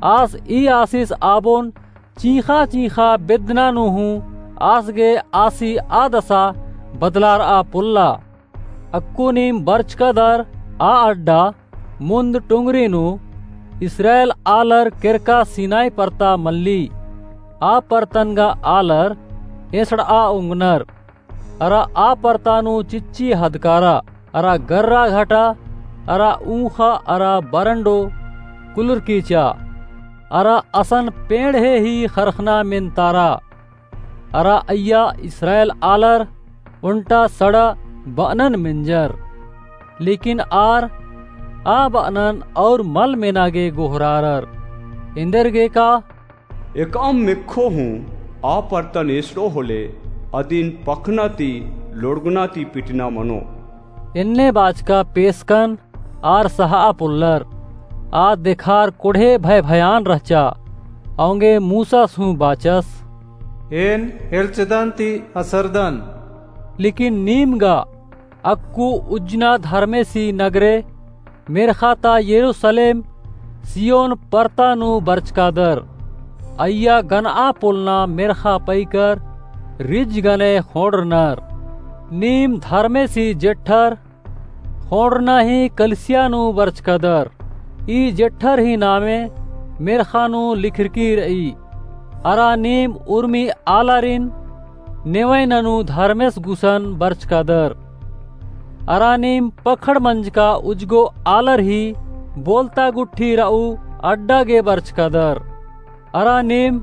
आस ई आसिस आबोन चींख़ा चींख़ा बेद्दना नू हूँ आस गे आसी आदसा बदलारआ पोल्ला। अक्कु नीम बरचकदर आ अड्डा मुन्द टुंगरी नू इस्राएल आलर केरका सिनाई परता मल्ली। आ परतन गा आलर एसड़आ ओंगनर। अरा आ परता नू चिच्ची हदकारा, अरा गर्रा घटा, अरा ऊँख़ा, अरा बरंडो कुलुरकीचा, अरा असन पेंड़हे ही ख़रख़ना मेन्तारा। अरा अइय्या इस्राएल आलर ओन्टा सड़ा बअनन मेंजर। लेकिन आर आ बअनन और मल मेना गे गोहरारर। एन्देरगे का एकअम मेक्खो हूँ आ परतन एसड़ो होले अदिन पखना ती लोड़गना ती पिटना मनो। एन्ने बाचका पेसकन आर सहा पोल्लर। आ देखार कोड़हे भय भयान रहचा। औंगे मूसस हूँ बाचस, एन हेलचदन ती असरदन। लेकिन नीम गा अक्कु उज्जना धर्मेसी नगरे मेर्ख़ा ता यरूसलेम सियोन परता नू बरचकादर। अइय्या गनआ पोलना मेर्ख़ा पइकर रिज गने ख़ोंड़रनर। नीम धर्मेसी जेठर ख़ोंड़रना ही कलिसिया नू बरचकादर। ई जेठर ही नामे मेर्ख़ा नू लिखरकी रई। अरा नीम उर्मी आलारिन नेवैना नू धर्मेस गुसन बरचकादर। अरा नीम पखड़ मंजका उजगो आलर ही बोलता गुट्ठी रऊ अड्डा गे बरचकादर। अरा नीम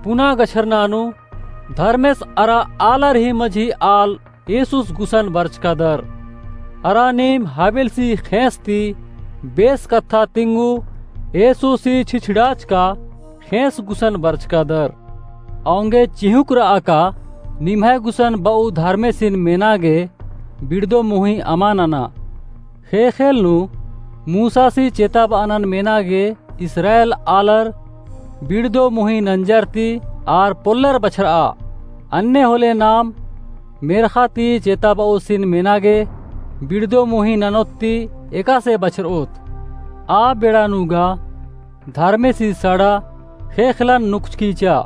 पुना गछरना नू धर्मेस अरा आलर ही मझी आल येसुस गुसन बरचकादर। अरा नीम हाबिलसी ख़ेंस ती बेस कत्था तिंगू येसुसी छिछड़ाचका ख़ेंस गुसन बरचकादर। औंगे चिहुंक रआ का निम्है गुसन बऊ धर्मेसिन मेना गे बिड़दो मुही अमा नना। ख़ेख़ेल नू मूसासी चेताबअनन मेना गे इस्राएल आलर बिड़दो मुही नंजर ती आर पोल्लर बछरआ। अन्ने होले नाम मेर्ख़ा ती चेताबओसिन मेना गे बिड़दो मुही ननोत ती एकासे बछरओत। आ बेड़ा नू गा धर्मेसी सड़ा ख़ेख़ेलन नुकचकीचा।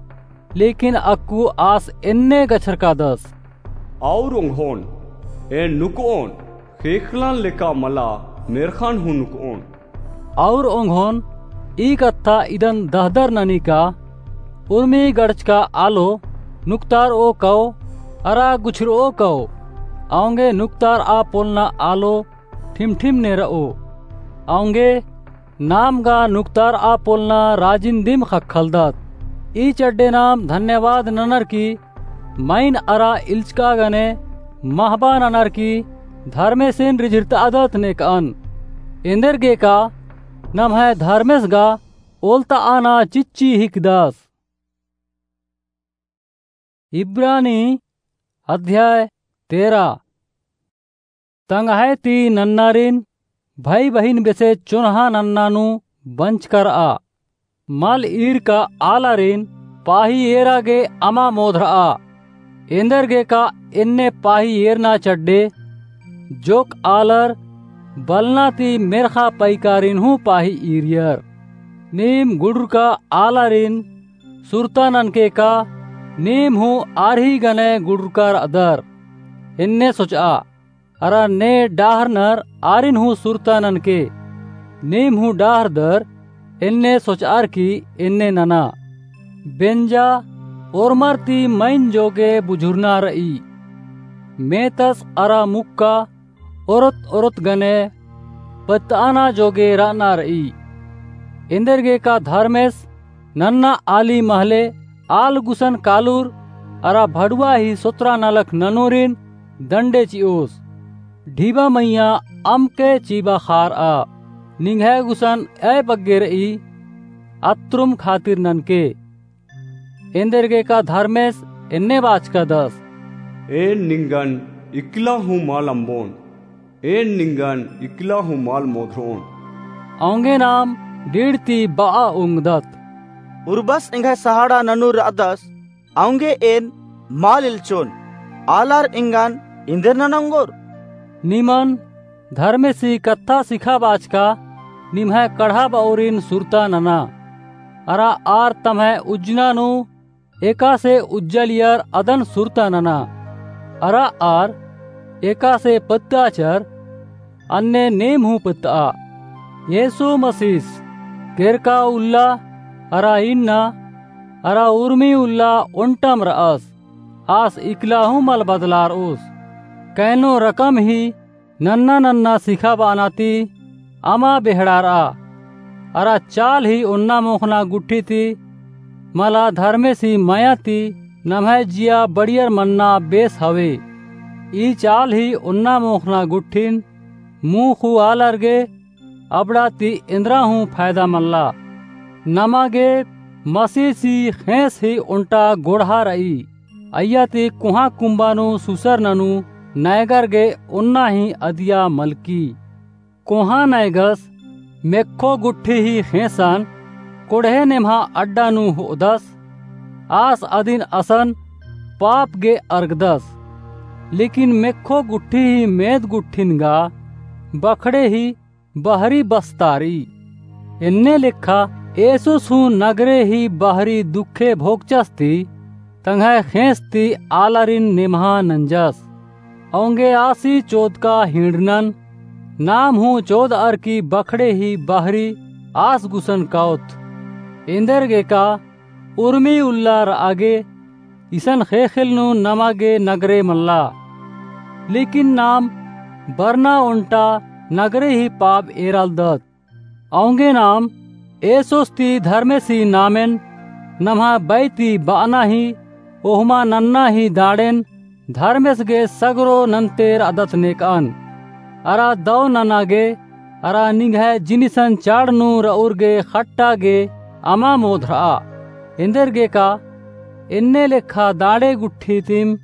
लेकिन अक्कु आस एन्ने गछरकादस। और ओंघोन, एन नुकओन, ख़ेख़ेलन लेका मला मेर्ख़न हूँ नुकओन। और ओंघोन ई कत्था इदन दहदर ननी का, उर्मी गड़चका आलो नुकतारओ कओ, अरा गुछरओ कओ, औंगे नुकतारआ पोलना आलो ठिमठिम नेरओ। औंगे नाम गा नुकतारआ पोलना राजिन दिम ख़क्खलदत। ई चड्डे नाम धन्यवाद ननर की माइन अरा इल्चका गने महबा ननर की धर्मेसिन रिझिरतादत नेकअन। एन्देरगे का नम्है धर्मेस गा ओलतअना चिच्ची हिकदस। इब्रानी अध्याय तेरा। तंग्है ती नन्नारिन भई बहिन बेसे चोन्हा नन्ना नू बंचका रआ। मल ईरका आलारिन पाही एरा गे अमा मोधरआ। एन्देरगे का एन्ने पाही एरना चड्डे, जोक आलर बलना ती मेर्ख़ा पइकारिन हूँ पाही ईरियर। नीम गुडुरका आलारिन सुरता ननके का नीम हूँ आर ही गने गुडुरका रअदर। एन्ने सोचआ, अरा ने डाहरनर आरिन हूँ सुरता ननके। नीम हूँ डाहरदर, एन्ने सोचअर की एन्ने नना। बेंजा ओर्मर ती मइन जोगे बुझुरना र'ई। मेतस अरा मुक्का ओरोत ओरोत गने पत्तआना जोगे र'अना र'ई। एन्देरगेका धर्मेस नन्ना आली महले आल गुसन कालूर अरा भड़ुवा ही सोतरा नलख ननूरिन दंडे चि'ओस। ढिबा मइय्याँ अमके चि'बा खार'आ। निंग्है गुसन अय बग्गे र'ई, अत्रुम खातिर ननके। एन्देरगेका धर्मेस एन्ने बाचकादस। एन निंगन इकला हूँ मल अम्बोन। एन निंगन इकला हूँ मल मोधरोन। औंगे नाम डीड़ ती ब'आ ओंगदत। उर्बस एंग्है सहाड़ा ननूर र'अदस, औंगे एन मल इल्चोन। आलर एंगन इन्देर ननोंगोर। निमन धर्मेसी कत्था सिखाबाचका निम्है कड़हा ब'ओरिन सुरता नना। अरा आर तम्है उज्जना नू एकासे उज्जालियर अदन सुरता नना। अरा आर एकासे पत्ताचर, अन्ने नीम हूँ पत्तआ। यीशु मसीस केरका उल्ला अरा इन्ना अरा उर्मी उल्ला ओन्टम र'अस। आस इकला हूँ मल बदलार'ओस। कैनो रकम ही नन्ना नन्ना सिखाब'अना ती अमा बेहड़ार'आ। अरा चाल ही ओन्ना मोख़ना गुट्ठी ती मला धर्मेसी मया ती नम्है जिया बड़ियर मन्ना बेस हवे। ई चाल ही ओन्ना मोख़ना गुट्ठिन मुँह हूँ आलर गे अबड़ा ती एन्द्रा हूँ फायदा मल्ला। नमा गे मसीसी ख़ेंस ही ओन्टा गोड़हा र'ई। अइय्या ती कोहाँ कुम्बा नू सुसर ननू नैगर गे ओन्ना ही अदिया मलकी। कोहाँ नैगस मेक्खो गुट्ठी ही ख़ेंसन कोड़हे नेम्हा अड्डा नू हो'अदस। आस अदिन असन पाप गे अरगदस। लेकिन मेक्खो गुट्ठी ही मेद गुट्ठिन गा बखड़े ही बहरी बस्तार'ई। एन्ने लेखा येसुस हूँ नगरे ही बहरी दुखे भोगचस ती तंग्है ख़ेंस ती आलारिन नेम्हा नंजस। औंगे आसी चोदका हिंड़नन नाम हूँ चोदअर की बखड़े ही बहरी आस गुसन काओत। एन्देरगेका उर्मी उल्ला र'आ गे इसन ख़ेख़ेल नू नमा गे नगरे मल्ला। लेकिन नाम बरना ओन्टा नगरे ही पाप एरालदत। औंगे नाम येसुस ती धर्मेसी नामेन नम्हा बै ती ब'अना ही ओहमा नन्ना ही दाड़ेन धर्मेस गे सगरो नन्ते र'अदत नेक'अन। अरा दौ नना गे अरा निंग्है जिनिसन चाड़ नू र'ऊर गे ख़ट्टा गे अमा मोधर'आ। एन्देरगेका एन्ने लेखा दाड़े गुट्ठी तिम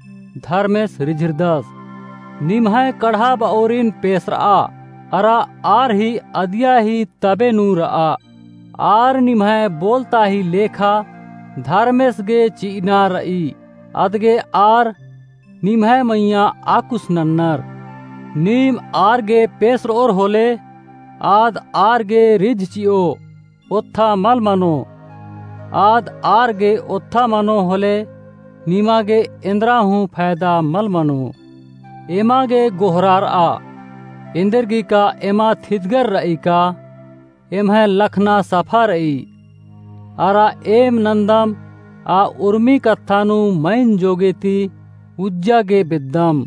धर्मेस रिझिरदस। निम्है कड़हा ब'ओरिन पेसर'आ। अरा आर ही अदिया ही तबे नू र'आ। आर निम्है बोलता ही लेखा धर्मेस गे चि'अना र'ई। अदगे आर निम्है मइय्याँ आकुस नन्नर। नीम आर गे पेसर'ओर होले आद आर गे रिझ चि'ओ ओत्था मल मनो। आद आर गे ओत्था मनो होले निमा गे एन्द्रा हूँ फायदा मल मनो। एमा गे गोहरार'आ। एन्देरगेका एमा थिदगर र'ई का एम्है लखना सफा र'ई। अरा एम नन्दम आ उर्मी कत्था नू मइन जोगे ती उज्जा गे बेद्दम।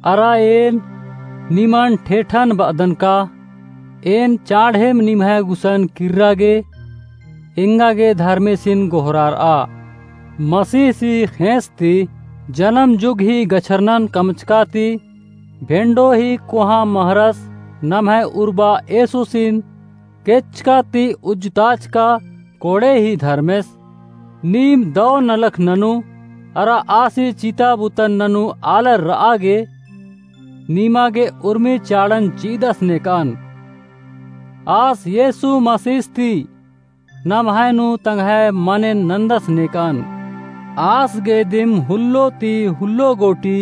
अरा एन निमन ठेठन ब'अदन का एन चाड़हेम निम्है गुसन किर्रा गे एंगा गे धर्मेसिन गोहरार'आ। मसीहसी ख़ेंस ती जनम जुग ही गछरनन कमचका ती भेंडो ही कोहाँ महरस नम्है उर्बा येसुसिन केचका ती उज्जताचका कोड़े ही धर्मेस। नीम दौ नलख ननू अरा आसी चिता बुतन ननू आलर र'आ गे निमा गे उर्मी चाड़न चि'दस नेक'अन। आस येसु मसीस ती नम्है नू तंग्है मनेन नन्दस नेक'अन। आस गे दिम हुल्लो ती हुल्लो गोटी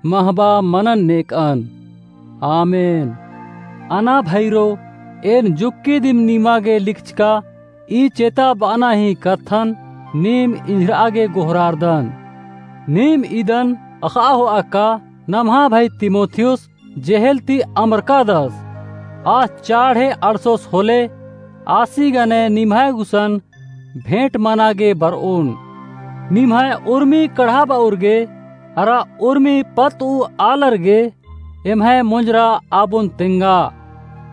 महबा मनन नेक'अन। आमेन। अना भइरो, एन जुक्की दिम निमा गे लिखचका ई चेता ब'अना ही कत्थन नीम इंझर'आ गे गोहरारदन। नीम इदन अख़आ हो'आ का नम्हा भई तिमोथियुस जेहेल ती अमरकादस। आस चाड़हे अंड़सोस होले आसी गने निम्है गुसन भेंट मना गे बरओन। निम्है उर्मी कड़हाबउर गे अरा उर्मी पत्त ऊ आलर गे एम्है मोंजरा आबोन तेंगा।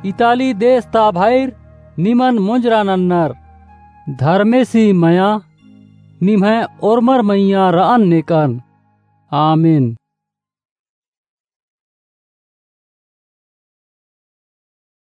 इताली देस ता भइर निमन मोंजरा नन्नर। धर्मेसी मया निम्है ओर्मर मइय्याँ रअन नेकन। आमीन।